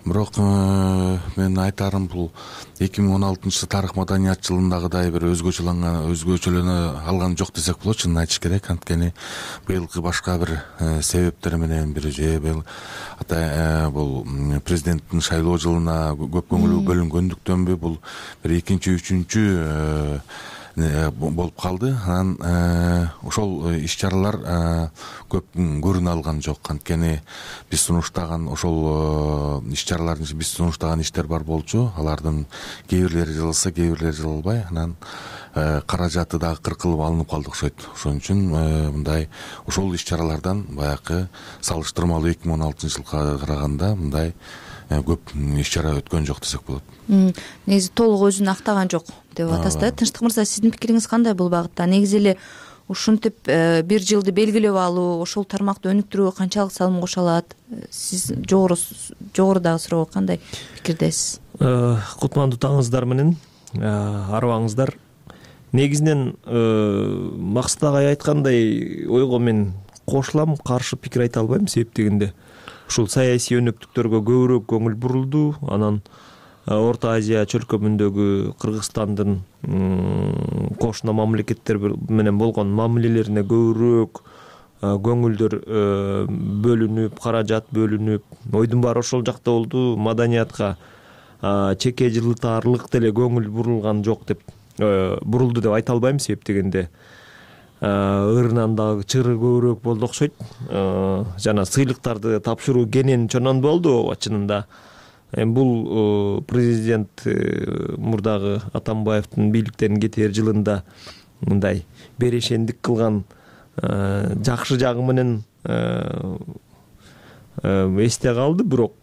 Бирок мен айтарым, бул эки миң он алтынчы тарых маданиятчылыгындагыдай бир өзгөчөлөнгөн өзгөчөлөнө алган жок десек болот. Чынын айтыш керек. Анткени быйылкы башка бир себептер менен бир же атай бул президенттин шайлоо жылына көп көңүл бөлүнгөндүктөнбү бул бир экинчи, үчүнчү болуп калды. Анан ошол иш чаралар көп көрүнө алган жок. Анткени биз сунуштаган ошол иш чаралардын биз сунуштаган иштер бар болчу. Алардын кээ бирлери жылылса, кээ бирлери жылылбай, анан каражаты дагы кыркылып алынып калды окшойт. Ошон үчүн мындай ошол иш чаралардан баягы салыштырмалуу эки миң он алтынчы жылга караганда мындай көп иш чара өткөн жок десек болот. Негизи толук өзүн актаган жок деп атасыз да. Тынчтык мырза, сиздин пикириңиз кандай бул багытта? Негизи эле ушинтип бир жылды белгилеп алуу, ошол тармакты өнүктүрүүгө канчалык салым кошо алат? Сиз жогору жогорудагы суроого кандай пикирдесиз? Кутмандуу таңыңыздар менен, арыбаңыздар. Негизинен Максат агай айткандай ойго мен кошулам, каршы пикир айта албайм. Себеп дегенде ушул саясий өнөктүктөргө көбүрөөк көңүл бурулду. Анан Орто Азия чөлкөмүндөгү Кыргызстандын кошуна мамлекеттер менен болгон мамилелерине көбүрөөк көңүлдөр бөлүнүп, каражат бөлүнүп, ойдун баары ошол жакта болду. Маданиятка чеке жылытаарлык деле көңүл бурулган жок деп бурулду деп айта албайм. Себеп дегенде ырынан дагы чыры көбүрөөк болду окшойт. Жана сыйлыктарды тапшыруу кенен чонон болду чынында. Бул президент мурдагы Атамбаевдин бийликтен кетээр жылында мындай берешендик кылган жакшы жагы менен эсте калды. Бирок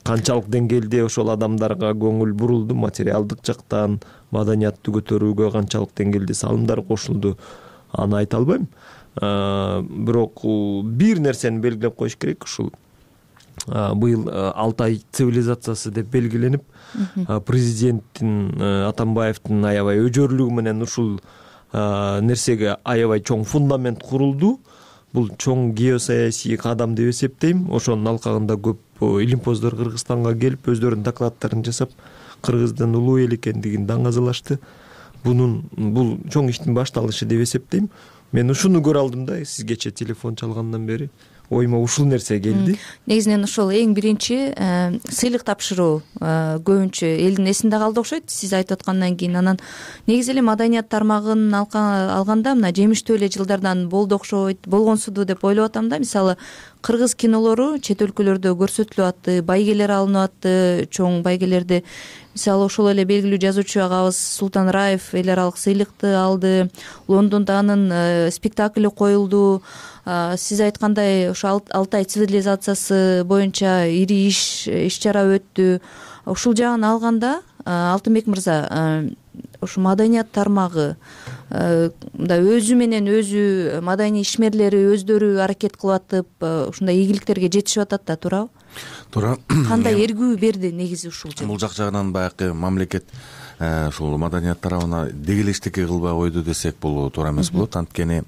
канчалык деңгээлде ошол адамдарга көңүл бурулду, материалдык жактан маданиятты көтөрүүгө канчалык деңгээлде салымдар кошулду, аны айта албайм. Бирок бир нерсени белгилеп коюш керек. Ушул быйыл Алтай цивилизациясы деп белгиленип, президенттин Атамбаевдин аябай өжөрлүгү менен ушул нерсеге аябай чоң фундамент курулду. Бул чоң геосаясий кадам деп эсептейм. Ошонун алкагында көп илимпоздор Кыргызстанга келип, өздөрүнүн докладдарын жасап, Кыргыздын улуу эл экендигин даңазалашты. Бунун бул чоң иштин башталышы деп эсептейм. Мен ушуну көрө алдым да, сизгече телефон чалгандан бери оюма ушул нерсе келди. Негизинен ошол эң биринчи сыйлык тапшыруу көбүнчө элдин эсинде калды окшойт, сиз айтып аткандан кийин. Анан негизи эле маданият тармагын алганда мына жемиштүү эле жылдардан болду окшойт, болгонсуду деп ойлоп атам да. Мисалы, кыргыз кинолору чет өлкөлөрдө көрсөтүлүп атты, байгелер алынып атты, чоң байгелерди. Мисалы, ошол эле белгилүү жазуучу агабыз Султан Раев эл аралык сыйлыкты алды. Лондондо анын спектакли коюлду. Сиз айткандай ошо Алтай цивилизациясы боюнча ири иш иш чара өттү. Ушул жагын алганда, Алтынбек мырза, ушу маданият тармагы мындай өзү менен өзү маданий ишмерлери өздөрү аракет кылып атып, ушундай ийгиликтерге жетишип атат да, туурабы? Туура. Кандай эргүү берди негизи ушул жер? Бул жак жагынан баягы мамлекет ушул маданият тарабына деги эчтеке кылбай койду десек бул туура эмес болот. Анткени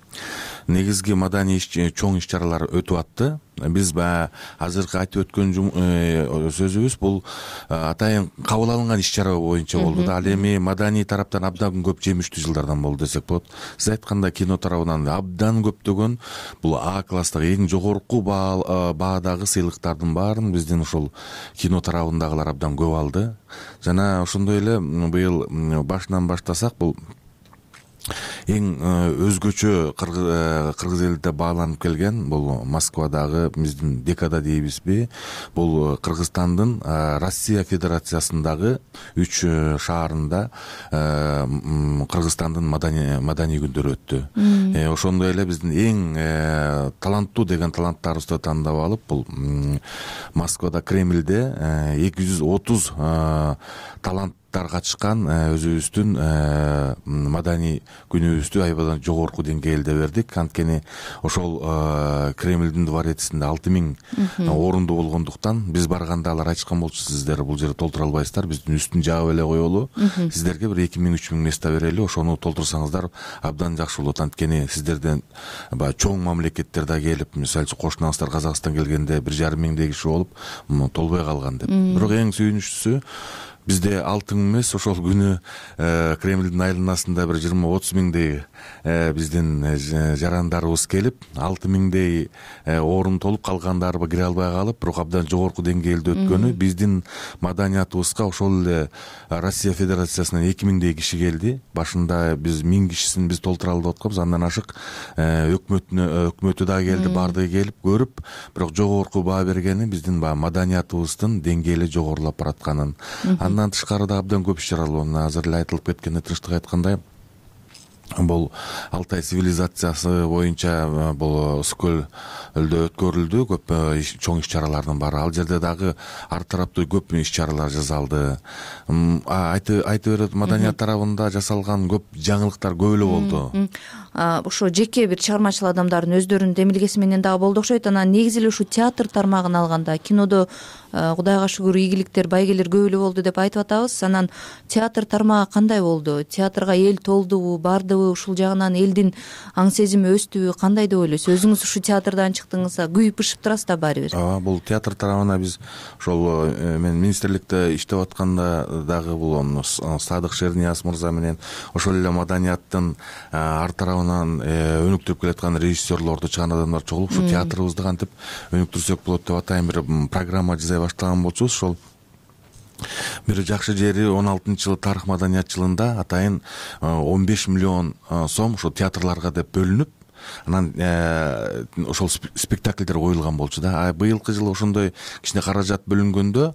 негизги маданий чоң иш чаралар өтүп атты. Биз баягы азыркы айтып өткөн сөзүбүз бул атайын кабыл алынган иш чара боюнча болду да. Ал эми маданий тараптан абдан көп жемиштүү жылдардан болду десек болот. Сиз айткандай кино тарабынан абдан көптөгөн бул А класстагы эң жогорку баадагы сыйлыктардын баарын биздин ушул кино тарабындагылар абдан көп алды. Жана ошондой эле быйыл башынан баштасак, бул эң өзгөчө кыргыз элиде бааланып келген бул Москвадагы биздин декада дейбизби, бул Кыргызстандын Россия Федерациясындагы үч шаарында Кыргызстандын маданий күндөрү өттү. Ошондой эле биздин эң таланттуу деген таланттарыбызды тандап алып, бул Москвада Кремльде эки жүз отуз талант катышкан өзүбүздүн маданий күнүбүздү аябадан жогорку деңгээлде бердик. Анткени ошол Кремльдин дворецинде алты миң орунду болгондуктан биз барганда алар айтышкан болчу, сиздер бул жерде толтура албайсыздар, биздин үстүн жаап эле коелу, сиздерге бир эки миң үч миң место берели, ошону толтурсаңыздар абдан жакшы болот. Анткени сиздерден баягы чоң мамлекеттер да келип, мисалы үчүн кошунаңыздар Казакстан келгенде бир жарым миңдей киши болуп толбой калган деп. Бирок эң сүйүнүчтүүсү, бизде алты миң эмес, ошол күнү Кремльдин айланасында бир жыйырма отуз миңдей биздин жарандарыбыз келип, алты миңдей орун толуп, калгандарыбы кире албай калып, бирок абдан жогорку деңгээлде өткөнү биздин маданиятыбызга ошол эле Россия Федерациясынан эки миңдей киши келди. Башында биз миң кишисин биз толтура алып атканбыз, андан ашык өкмөтүнө өкмөтү да келди, баардыгы келип көрүп, бирок жогорку баа бергени биздин баягы маданиятыбыздын деңгээли жогорулап баратканын. Андан тышкары да абдан көп иш чаралар, азыр эле айтылып кеткенде, тынчтык айткандай, бул Алтай цивилизациясы боюнча бул Ысык көлдө өткөрүлдү көп чоң иш чаралардын баары. Ал жерде дагы ар тараптуу көп иш чаралар жасалды. Айтып берет, маданият тарабында жасалган көп жаңылыктар көп эле болду. Ошо жеке бир чыгармачыл адамдардын өздөрүнүн демилгеси менен дагы болду окшойт. Анан негизи эле ушу театр тармагын алганда, кинодо Кудайга шүгүр ийгиликтер, байгелер көп эле болду деп айтып атабыз. Анан театр тармагы кандай болду? Театрга эл толдубу, бардыбы? Ушул жагынан элдин аң сезими өстүбү, кандай деп ойлойсуз? Өзүңүз ушу театрдан чыктыңыз, күйүп бышып турасыз да баары бир. Ооба, бул театр тарабына биз ошол мен министрликте иштеп атканда дагы бул Садык Шернияз мырза менен ошол эле маданияттын ар тарабынан өнүктүрүп келаткан режиссерлорду чыган адамдар чогулуп, ушу театрыбызды кантип өнүктүрсөк болот деп атайын бир программа жасай баштаган болчубуз. Ошол бир жакшы жери он алтынчы жылы тарых маданият жылында атайын он беш миллион сом ошо театрларга деп бөлүнүп, анан ошол спектакльдер коюлган болчу да. А быйылкы жылы ошондой кичине каражат бөлүнгөндө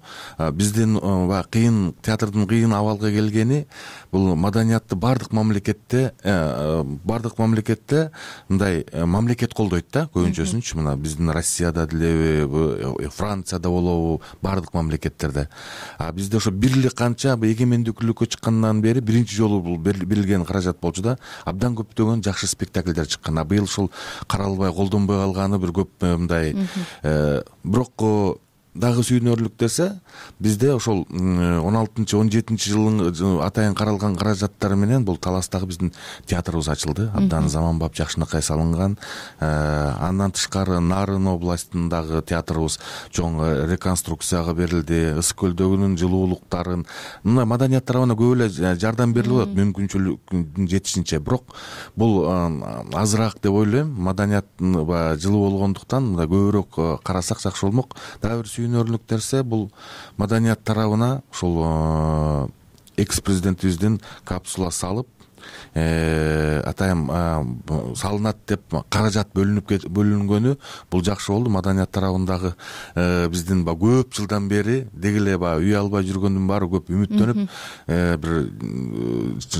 биздин баягы кыйын, театрдын кыйын абалга келгени бул маданиятты баардык мамлекетте баардык мамлекетте мындай мамлекет колдойт да, көбүнчөсүнчү. Мына биздин Россияда делеби, Францияда болобу, баардык мамлекеттерде. А бизде ошо бир эле канча эгемендүүлүккө чыккандан бери биринчи жолу бул берилген каражат болчу да, абдан көптөгөн жакшы спектакльдер чыккан. Быйыл ушул каралбай, колдонбой калганы бир көп мындай. Бирок дагы сүйүнөрлүк нерсе, бизде ошол он алтынчы он жетинчи жылдын атайын каралган каражаттары менен бул Таластагы биздин театрыбыз ачылды. Абдан заманбап, жакшынакай салынган. Андан тышкары Нарын областындагы театрыбыз чоң реконструкцияга берилди. Ысык көлдөгүнүн жылуулуктарын, мына маданият тарабына көп эле жардам берилип атат мүмкүнчүлүгүн жетишинче. Бирок бул азыраак деп ойлойм. Маданияттын жылуу болгондуктан мында көбүрөөк карасак жакшы болмок. Дагы бир сүйүнөрлүк нерсе, бул маданият тарабына ушул экс президентибиздин капсула салып атайын салынат деп каражат бөлүнүп бөлүнгөнү бул жакшы болду. Маданият тарабындагы биздин көп жылдан бери деги эле үй албай жүргөндүн баары көп үмүттөнүп, бир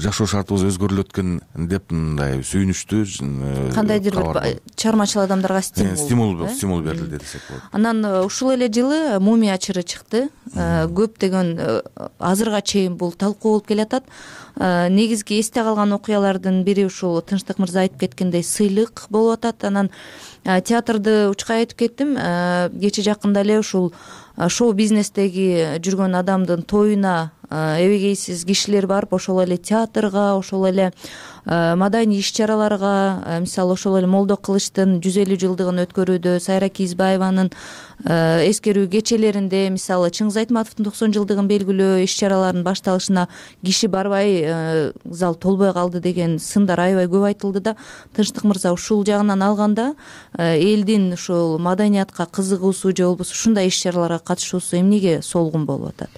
жашоо шартыбыз өзгөрүлөт экен деп мындай сүйүнүчтүү, кандайдыр бир чыгармачыл адамдарга стимул стимул стимул берилди десек болот. Анан ушул эле жылы Мумия чыры чыкты. Көптөгөн азырга чейин бул талкуу болуп келатат. Негизги эсте калган окуялардын бири ушул Тынчтык мырза айтып кеткендей сыйлык болуп атат. Анан театрды учкай айтып кеттим. Кече жакында эле ушул шоу бизнестеги жүргөн адамдын тоюна эбегейсиз кишилер барып, ошол эле театрга, ошол эле маданий иш чараларга, мисалы ошол эле Молдо Кылычтын жүз элүү жылдыгын өткөрүүдө, Сайра Кийизбаеванын эскерүү кечелеринде, мисалы Чыңгыз Айтматовдун токсон жылдыгын белгилөө иш чараларынын башталышына киши барбай, зал толбой калды деген сындар аябай көп айтылды да. Тынчтык мырза ушул жагынан алганда элдин ушул маданиятка кызыгуусу же болбосо ушундай иш чараларга катышуусу эмнеге солгун болуп атат?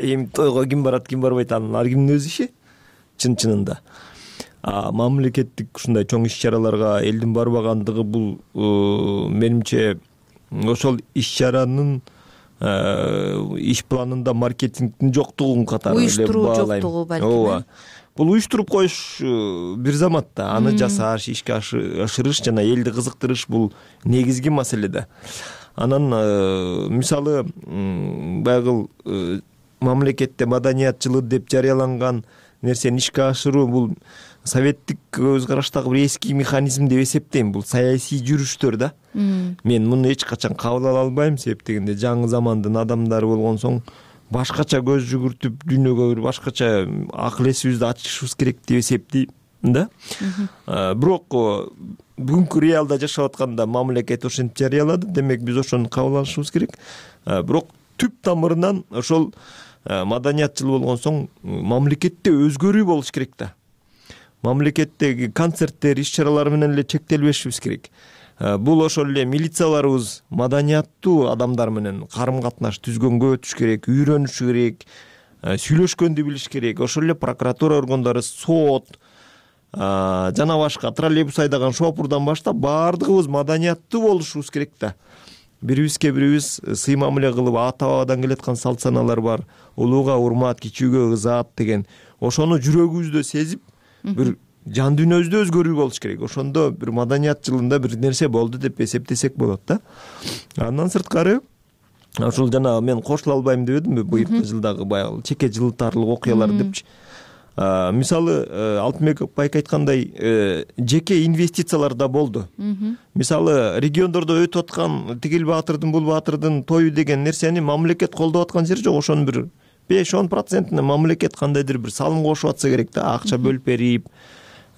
эми тойго ким барат ким барбайт анын ар кимдин өз иши чын чынында. А мамлекеттик ушундай чоң иш чараларга элдин барбагандыгы бул менимче ошол иш чаранын иш планында маркетингдин жоктугун катары эле уюштуруу баалайм. жоктугу балким. ооба бул уюштуруп коюш бир замат да, аны жасаш, ишке ашырыш жана элди кызыктырыш бул негизги маселе да. Анан мисалы баягы мамлекетте маданият жылы деп жарыяланган нерсени ишке ашыруу бул советтик көз караштагы бир эски механизм деп эсептейм. Бул саясий жүрүштөр да. Мен муну эч качан кабыл ала албайм, себеп дегенде жаңы замандын адамдары болгон соң башкача көз жүгүртүп дүйнөгө бир башкача акыл эсибизди ачышыбыз керек деп эсептейм да. Бирок бүгүнкү реалда жашап атканда мамлекет ошентип жарыялады, демек биз ошону кабыл алышыбыз керек. Бирок түп тамырынан ошол маданият жылы болгон соң мамлекетте өзгөрүү болуш керек да. Мамлекеттеги концерттер, иш чаралар менен эле чектелбешибиз керек. Бул ошол эле милицияларыбыз маданияттуу адамдар менен карым катнаш түзгөнгө өтүш керек, үйрөнүш керек, сүйлөшкөндү билиш керек. Ошол эле прокуратура органдары, сот жана башка троллейбус айдаган шопурдан баштап баардыгыбыз маданияттуу болушубуз керек да. Бирибизге бирибиз сый мамиле кылып, ата бабадан келаткан салт санаалар бар. Улууга урмат, кичүүгө ызаат деген. Ошону жүрөгүбүздө сезип, бир жан дүйнөбүздө өзгөрүү болуш керек. Ошондо бир маданият жылында бир нерсе болду деп эсептесек болот да. Андан сырткары ошол жана мен кошула албайм деп эдимби, быйыркы жылдагы баягы чеке жылтарлык окуялар депчи. Мисалы Алтынбек байке айткандай жеке инвестициялар да болду. Мисалы региондордо өтүп аткан тигил баатырдын, бул баатырдын тою деген нерсени мамлекет колдоп аткан жери жок. Ошонун бир беш он процентине мамлекет кандайдыр бир салым кошуп атса керек да, акча бөлүп берип,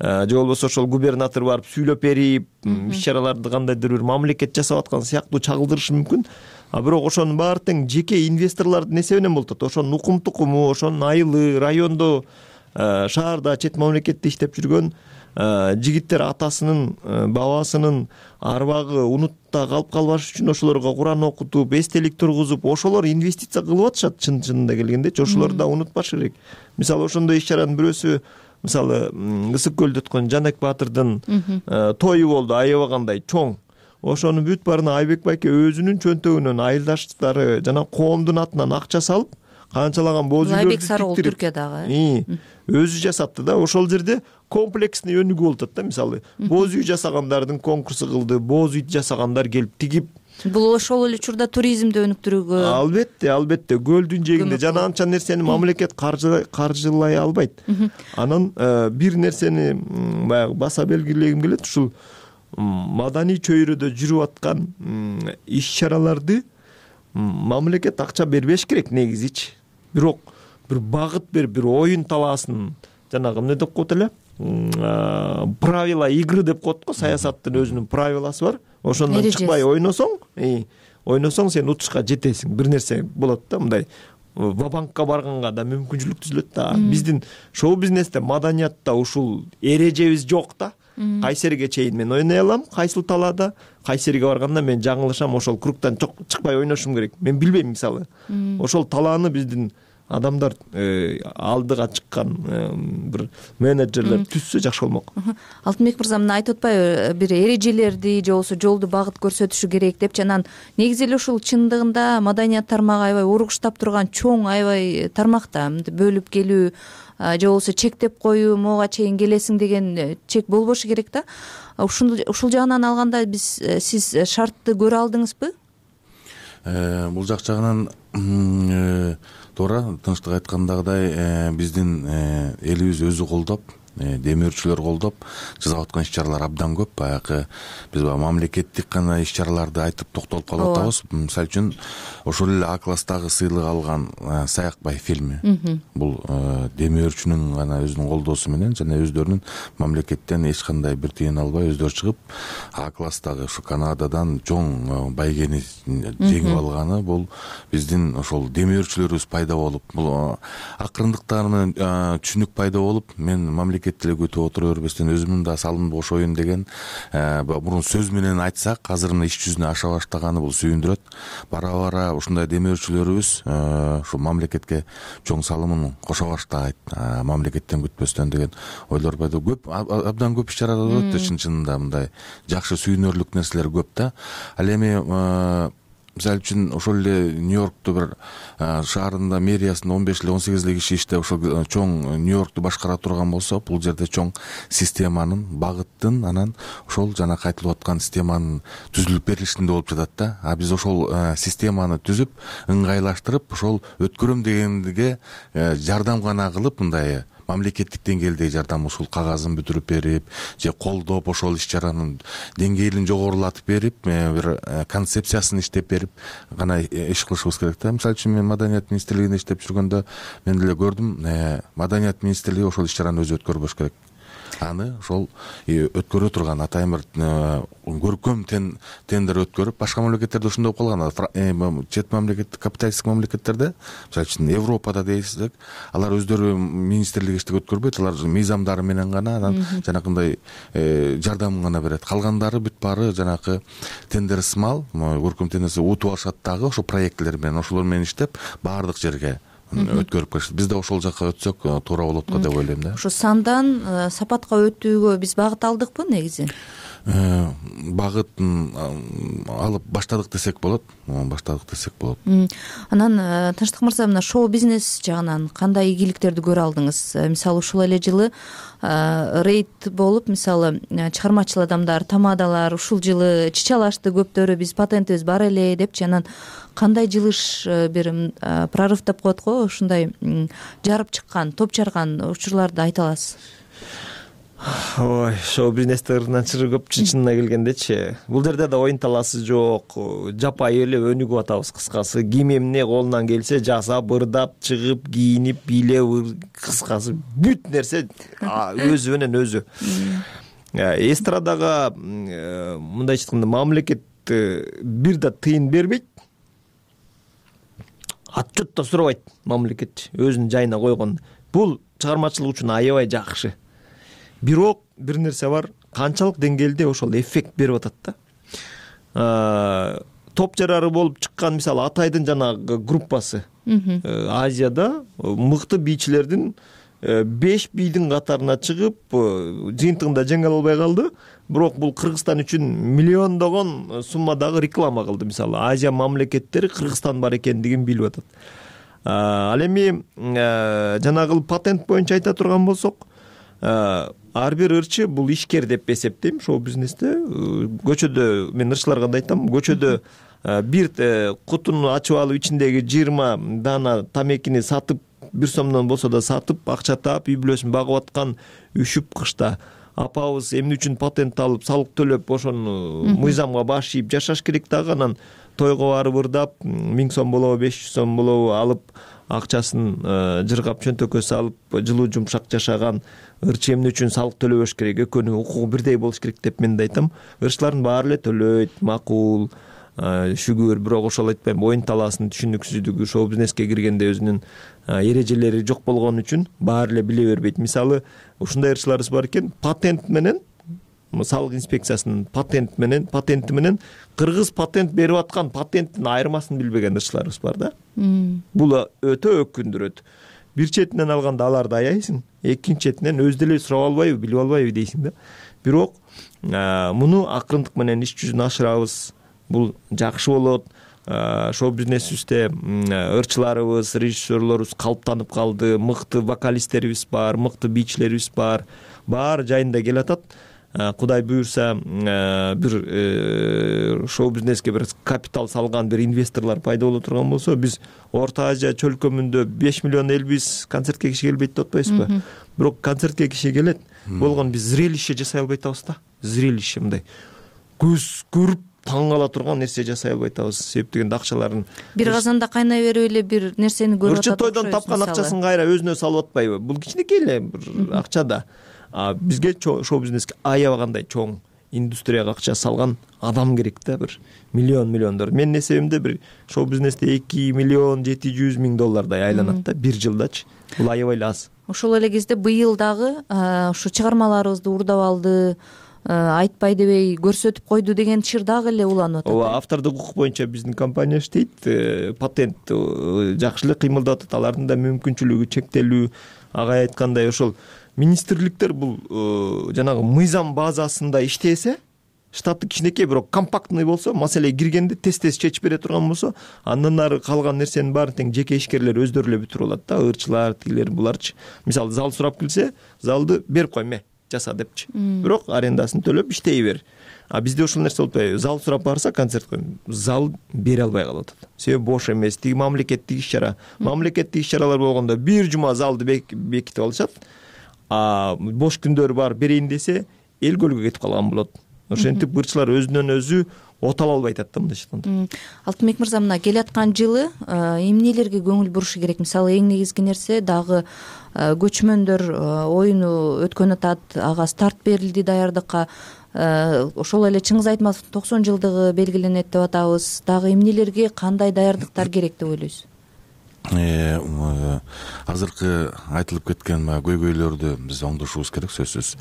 же болбосо ошол губернатор барып сүйлөп берип, иш чараларды кандайдыр бир мамлекет жасап аткан сыяктуу чагылдырышы мүмкүн. А бирок ошонун баары тең жеке инвесторлордун эсебинен болуп атат. Ошонун укум тукуму, ошонун айылы, райондо, шаарда, чет мамлекетте иштеп жүргөн жигиттер атасынын, бабасынын арбагы унутта калып калбаш үчүн ошолорго Куран окутуп, эстелик тургузуп, ошолор инвестиция кылып атышат чын чынында келгендечи. Ошолорду да унутпаш керек. Мисалы ошондой иш чаранын бирөөсү, мисалы Ысык көлдө өткөн Жанек баатырдын тою болду, аябагандай чоң. Ошону бүт баарына Айбек байке өзүнүн чөнтөгүнөн айылдаштары жана коомдун атынан акча салып, канчалаган боз үйлөрдү Айбек Сарыгул Түркиядагы өзү жасатты да. Ошол жерде комплексный өнүгүү болуп атат да. Мисалы боз үй жасагандардын конкурсу кылды, боз үй жасагандар келип тигип. Бул ошол эле учурда туризмди өнүктүрүүгө албетте, албетте көлдүн жээгинде жана анча нерсени мамлекет каржылай албайт. Анан бир нерсени баягы баса белгилегим келет, ушул маданий чөйрөдө жүрүп аткан иш чараларды мамлекет акча бербеш керек негизичи. Бирок бир багыт берип, бир оюн талаасын, жанагы эмне деп коет эле, правила игры деп коет го, саясаттын өзүнүн правиласы бар. Ошондон чыкпай ойносоң, ойносоң сен утушка жетесиң. Бир нерсе болот да, мындай ва-банкка барганга да мүмкүнчүлүк түзүлөт да. Биздин шоу-бизнесте, маданиятта ушул эрежебиз жок да. Кайсерге чейин мен ойной алам, кайсыл талаада, кайсерге барганда мен жаңылышам, ошол кругтан чыкпай ойношум керек. Мен билбейм, мисалы. Ошол талааны биздин адамдар алдыга чыккан бир менеджерлер түзсө жакшы болмок. Алтынбек мырза мына айтып атпайбы, бир эрежелерди же болбосо жолду багыт көрсөтүшү керек депчи. Анан негизи эле ушул чындыгында маданият тармагы аябай ургуштап турган чоң аябай тармак да. Бөлүп келүү же болбосо чектеп коюу, могуга чейин келесиң деген чек болбошу керек да. Ушул ушул жагынан алганда биз сиз шартты көрө алдыңызбы? Бул жак жагынан туура, тынчтык айткандагыдай биздин элибиз өзү колдоп, демөөрчүлөр колдоп жасап аткан иш чаралар абдан көп. Баягы биз баягы мамлекеттик гана иш чараларды айтып токтолуп калып атабыз. Мисалы үчүн ошол эле А класстагы сыйлык алган Саякбай фильми. Бул демөөрчүнүн гана өзүнүн колдоосу менен жана өздөрүнүн мамлекеттен эч кандай бир тыйын албай өздөрү чыгып А класстагы ушу Канададан чоң байгени жеңип алганы, бул биздин ошол демөөрчүлөрүбүз пайда болуп, бул акырындыктар менен түшүнүк пайда болуп, мен мамлекет мамлекет деле күтүп отура бербестен өзүмдүн да салымды кошоюн деген мурун сөз менен айтсак азыр мына иш жүзүнө аша баштаганы бул сүйүндүрөт. Бара бара ушундай демөөрчүлөрүбүз ушу мамлекетке чоң салымын кошо баштайт, мамлекеттен күтпөстөн деген ойлор пайда көп, абдан көп иш чаралар болот да, чын чынында мындай жакшы сүйүнөрлүк нерселер көп да. Ал эми мисалы үчүн ошол эле Нью-Йоркту бир шаарында мэриясында он беш эле он сегиз эле киши иштеп ошол чоң Нью-Йоркту башкара турган болсо, бул жерде чоң системанын, багыттын, анан ошол жана кайтылып аткан системанын түзүлүп берилишинде болуп жатат да. А биз ошол системаны түзүп, ыңгайлаштырып, ошол өткөрөм дегенге жардам гана кылып, мындай мамлекеттик деңгээлдеги жардам, ушул кагазын бүтүрүп берип же колдоп, ошол иш чаранын деңгээлин жогорулатып берип, бир концепциясын иштеп берип гана иш кылышыбыз керек да. Мисалы үчүн мен Маданият министрлигинде иштеп жүргөндө мен деле көрдүм, Маданият министрлиги ошол иш чараны өзү өткөрбөш керек. Аны ошол өткөрө турган атайын бир көркөм тендер өткөрүп, башка мамлекеттерде ушундай болуп калган. Чет мамлекет, капиталисттик мамлекеттерде, мисалы үчүн Европада дейсизек, алар өздөрү министрлик иштик өткөрбөйт, алар мыйзамдары менен гана, анан жанакындай жардам гана берет. Калгандары бүт баары жанакы тендер сымал, көркөм тендерси утуп алышат дагы, ошол проектлер менен, ошолор менен иштеп баардык жерге өткөрүп келишет. Биз да ошол жакка өтсөк туура болот го деп ойлойм да. Ушу сандан сапатка өтүүгө биз багыт алдыкпы негизи? Багытын алып баштадык десек болот, баштадык десек болот. Анан Тынчтык мырза, мына шоу бизнес жагынан кандай ийгиликтерди көрө алдыңыз? Мисалы ушул эле жылы рейд болуп, мисалы чыгармачыл адамдар, тамадалар ушул жылы чычалашты көптөрү, биз патентибиз бар эле депчи, анан кандай жылыш, бир прорыв деп коет го, ушундай жарып чыккан, топ жарган учурларды айта аласыз? Ой, шоу бизнесте ырынан чыры көп, чынына келгендечи. Бул жерде да оюн таласы жок. Жапайы эле өнүгүп атабыз, кыскасы. Ким эмне колунан келсе жасап, ырдап, чыгып, кийинип, бийлеп, кыскасы бүт нерсе өзү менен өзү. Эстрадага мындайча айтканда мамлекет бир да тыйын бербейт. Отчет да сурабайт мамлекет өзүнүн жайына койгон. Бул чыгармачылык үчүн аябай жакшы. Бирок бир нерсе бар, канчалык деңгээлде ошол эффект берип атат да. Топ жарары болуп чыккан, мисалы Атайдын жанагы группасы Азияда мыкты бийчилердин беш бийдин катарына чыгып, жыйынтыгында жеңе албай калды. Бирок бул Кыргызстан үчүн миллиондогон суммадагы реклама кылды. Мисалы Азия мамлекеттери Кыргызстан бар экендигин билип атат. Ал эми жанагы патент боюнча айта турган болсок, ар бир ырчы бул ишкер деп эсептейм шоу бизнесте. Көчөдө мен ырчыларга да айтам, көчөдө бир кутуну ачып алып ичиндеги жыйырма дана тамекини сатып, бир сомдон болсо да сатып, акча таап, үй бүлөсүн багып аткан үшүп кышта апабыз эмне үчүн патент алып, салык төлөп, ошону мыйзамга баш ийип жашаш керек дагы. Анан тойго барып ырдап, миң сом болобу, беш жүз сом болобу алып, акчасын жыргап чөнтөккө салып, жылуу жумшак жашаган ырчы эмне үчүн салык төлөбөш керек? Экөөнүн укугу бирдей болуш керек деп мен да айтам. Ырчылардын баары эле төлөйт, макул, шүгүр, бирок ошол айтпайм, оюн талаасынын түшүнүксүздүгү, шоу бизнеске киргенде өзүнүн эрежелери жок болгон үчүн баары эле биле бербейт. Мисалы, ушундай ырчыларыбыз бар экен, патент менен, салык инспекциясынын патент менен, патенти менен кыргыз патент берип аткан патенттин айырмасын билбеген ырчыларыбыз бар да. Бул өтө өкүндүрөт. Бир четинен алганда аларды аяйсың, экинчи четинен өз деле сурап албайбы, билип албайбы дейсиң да. Бирок муну акырындык менен иш жүзүнө ашырабыз. Бул жакшы болот. Шоу бизнесибизде ырчыларыбыз, режиссерлорубуз калыптанып калды, мыкты вокалисттерибиз бар, мыкты бийчилерибиз бар. Баары жайында келатат. Кудай буюрса, бир шоу бизнеске бир капитал салган бир инвесторлор пайда боло турган болсо, биз Орто Азия чөлкөмүндө беш миллион элбиз, концертке киши келбейт деп атпайсызбы? Бирок концертке киши келет. Болгон биз зрелище жасай албай атабыз да. Зрелище мындай көз көрүп таң кала турган нерсе жасай албай атабыз. Себеп дегенде акчаларын бир казанда кайнай берип эле бир нерсени көрүп атат. Ырчы тойдон тапкан акчасын кайра өзүнө салып атпайбы? Бул кичинекей эле бир акча да. А бизге шоу бизнеске аябагандай чоң индустрияга акча салган адам керек да, бир миллион миллиондор. Менин эсебимде бир шоу бизнесте эки миллион жети жүз миң доллардай айланат да бир жылдачы. Бул аябай эле аз. ошол эле кезде быйыл дагы ушу чыгармаларыбызды уурдап алды, айтпай дебей көрсөтүп койду деген чыр дагы эле уланып атат. ооба, автордук укук боюнча биздин компания иштейт, патент жакшы эле кыймылдап атат, алардын да мүмкүнчүлүгү чектелүү. Ага айткандай ошол министрликтер бул жанагы мыйзам базасында иштесе, штаты кичинекей бирок компактный болсо, маселе киргенде тез-тез чечип бере турган болсо, андан ары калган нерсенин баарын тең жеке ишкерлер өздөрү эле бүтүрүп алат да, ырчылар, тигилер, буларчы. Мисалы, зал сурап келсе, залды берип кой, ме жаса депчи. Бирок арендасын төлөп иштей бер. А бизде ошол нерсе болуп атпайбы? Зал сурап барса, концерт коюм, зал бере албай калып атат. Себеби бош эмес, тиги мамлекеттик иш-чара. Мамлекеттик иш-чаралар болгондо бир жума залды бекитип алышат. А бош күндөрү бар берейин десе, эл көлгө кетип калган болот. Ошентип ырчылар өзүнөн өзү отала албай атат да, мындайча айтканда. Алтынбек мырза, мына келаткан жылы эмнелерге көңүл бурушу керек? Мисалы, эң негизги нерсе дагы көчмөндөр оюну өткөн атат, ага старт берилди даярдыкка. Ошол эле Чыңгыз Айтматовдун токсон жылдыгы белгиленет деп атабыз. Дагы эмнелерге кандай даярдыктар керек деп ойлойсуз? Азыркы айтылып кеткен көйгөйлөрдү биз оңдошубуз керек, сөзсүз.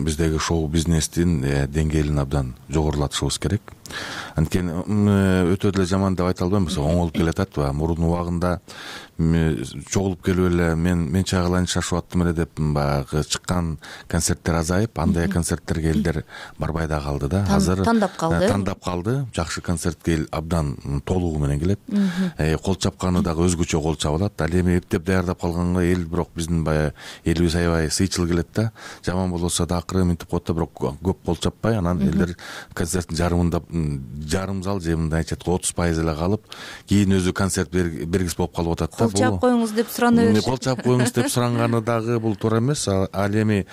Биздеги шоу бизнестин деңгээлин абдан жогорулатышыбыз керек. Анткени өтө деле жаман деп айта албайм, оңолуп келатат. Мурун убагында чогулуп келип эле мен мен чагылайын шашып аттым эле деп баягы чыккан концерттер азайып, андай концерттерге элдер барбай да калды да. Азыр тандап калды. Тандап калды. Жакшы концертке эл абдан толугу менен келет. Кол чапканы дагы өзгөчө кол чаба алат. Ал эми эптеп даярдап калганга эл бирок биздин баягы элибиз аябай сыйчыл келет да. Жаман болбосо да акыры минтип коет да, бирок көп кол чаппай, анан элдер концерттин жарымында жарым зал же мындайча айтканда отуз пайыз эле калып, кийин өзү концерт бергис болуп калып атат да. Кол чаап коюңуз деп сурана беришет. Кол чаап коюңуз деп суранганы дагы бул туура эмес. Ал эми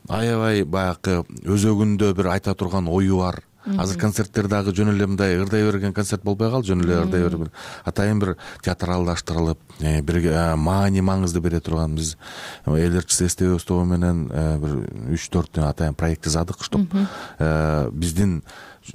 аябай баягы өзөгүндө бир айта турган ою бар. Азыр концерттер дагы жөн эле мындай ырдай берген концерт болбой калды, жөн эле ырдай берген. Атайын бир театралдаштырылып, бир маани маңызды бере турган, биз эл ырчысы эстебиз тобу менен бир үч төрт атайын проект жаздык, чтоб биздин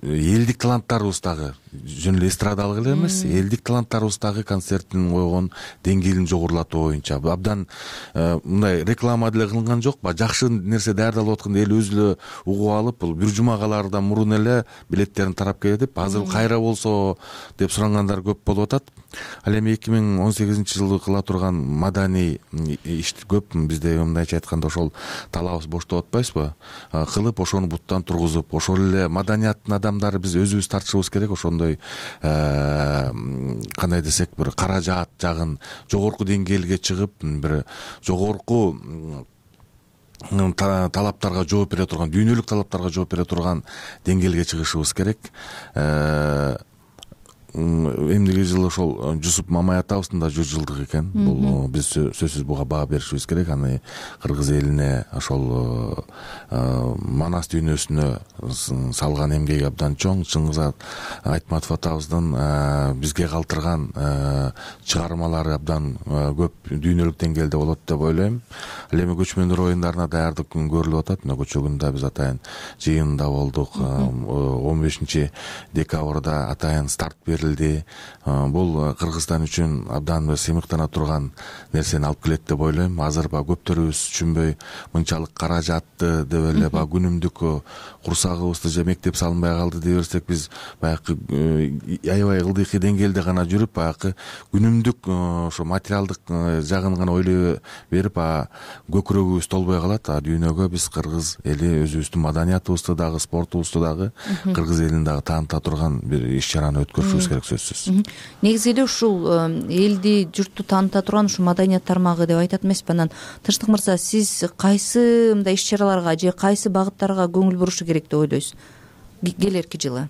элдик таланттарыбыз дагы жөн эле эстрадалык эле эмес, элдик таланттарыбыз дагы концерттин койгон деңгээлин жогорулатуу боюнча абдан мындай реклама деле кылынган жок, жакшы нерсе даярдалып атканда эл өзү эле угуп алып, бул бир жума калаардан мурун эле билеттерин тарап кетип, азыр кайра болсо деп сурангандар көп болуп атат. Ал эми эки миң он сегизинчи жылы кыла турган маданий иш көп. Бизде мындайча айтканда ошол талабыбыз боштоп атпайбызбы? Кылып ошону буттан тургузуп, ошол эле маданияттын адамдары биз өзүбүз тартышыбыз керек. Ошондой кандай десек, бир каражат жагын жогорку деңгээлге чыгып, бир жогорку талаптарга жооп бере турган, дүйнөлүк талаптарга жооп бере турган деңгээлге чыгышыбыз керек. Эмдиги жылы ошол Жусуп Мамай атабыздын да жүз жылдыгы экен. Бул биз сөзсүз буга баа беришибиз керек. Аны кыргыз элине, ошол Манас дүйнөсүнө салган эмгеги абдан чоң. Чыңгыз Айтматов атабыздын бизге калтырган чыгармалары абдан көп, дүйнөлүк деңгээлде болот деп ойлойм. Ал эми көчмөндөр оюндарына даярдык көрүлүп атат. Мына көчө күндө биз атайын жыйында болдук. он бешинчи декабрда атайын старт берилди. Бул Кыргызстан үчүн абдан сыймыктана турган нерсени алып келет деп ойлойм. Азыр ба көптөрүбүз түшүнбөй мынчалык каражатты деп эле ба күнүмдүк курсагыбызды же мектеп салынбай калды дей берсек, биз баягы аябай ылдыйкы деңгээлде гана жүрүп, баягы күнүмдүк ошо материалдык жагын гана ойлой берип, көкүрөгүбүз толбой калат. А дүйнөгө биз кыргыз эли өзүбүздүн маданиятыбызды дагы, спортубузду дагы, кыргыз элин дагы тааныта турган бир иш-чараны өткөрүшүбүз керек, сөзсүз. Негизи эле ушул элди, журтту тааныта турган ушул маданият тармагы деп айтат эмеспи? Анан Тынчтык мырза, сиз кайсы мындай иш-чараларга же кайсы багыттарга көңүл бурушу керек деп ойлойсуз келерки жылы?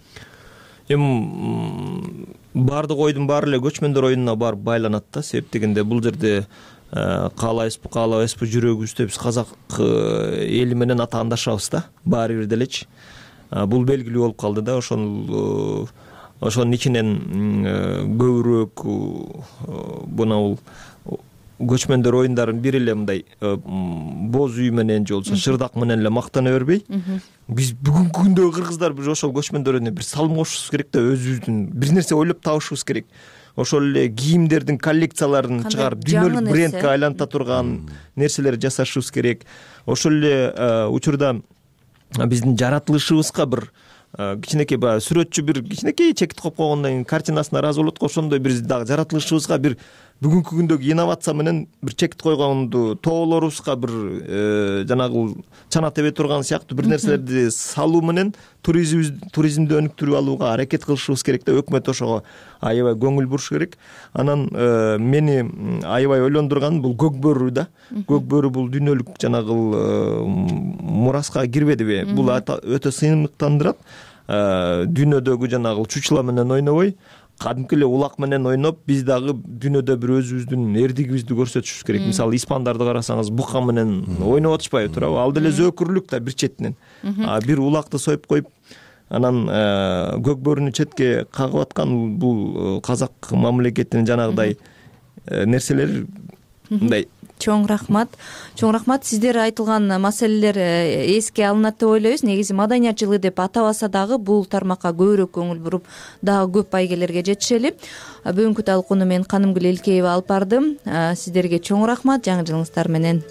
Эми баардык ойдун баары эле көчмөндөр оюнуна барып байланат да. Себеп дегенде бул жерде каалайбызбы, каалабайбызбы, жүрөгүбүздө биз казак эли менен атаандашабыз да, баары бир делечи. Бул белгилүү болуп калды да. Ошол ошонун ичинен көбүрөөк бул көчмөндөр оюндарын бир эле мындай боз үй менен же болбосо шырдак менен эле мактана бербей, биз бүгүнкү күндөгү кыргыздар бир ошол көчмөндөр оюнуна бир салым кошушубуз керек да, өзүбүздүн бир нерсе ойлоп табышыбыз керек. ошол эле кийимдердин коллекцияларын чыгарып дүйнөлүк брендке айланта турган нерселер жасашыбыз керек. Ошол эле учурда биздин жаратылышыбызга бир кичинекей баягы сүрөтчү бир кичинекей чекит коюп койгондон кийин картинасына ыраазы болот го. Ошондой биз дагы жаратылышыбызга бир бүгүнкү күндөгү инновация менен бир чекит койгонду, тоолорубузга бир жанагы чана тебе турган сыяктуу бир нерселерди салуу менен туризмди өнүктүрүп алууга аракет кылышыбыз керек деп өкмөт ошого аябай көңүл буруш керек. Анан мени аябай ойлондурган бул көк бөрү да. Көк бөрү бул дүйнөлүк жанагы мураска кирбедиби? Бул өтө сыймыктандырат. Дүйнөдөгү жанагы чучула менен ойнобой, кадимки эле улак менен ойноп, биз дагы дүйнөдө бир өзүбүздүн эрдигибизди көрсөтүшүбүз керек. Мисалы, испандарды карасаңыз, бука менен ойноп атышпайбы, туурабы? Ал деле зөөкүрлүк да бир четинен. Бир улакты союп коюп, анан көк бөрүнү четке кагып аткан бул казак мамлекетинин жанагыдай нерселер мындай. Чоң рахмат. Чоң рахмат. Сиздер айтылган маселелер эске алынат деп ойлойбуз. Негизи маданият жылы деп атабаса дагы бул тармакка көбүрөөк көңүл буруп, дагы көп байгелерге жетишели. Бүгүнкү талкууну мен Канымгүл Элкеева алып бардым. Сиздерге чоң рахмат. Жаңы жылыңыздар менен.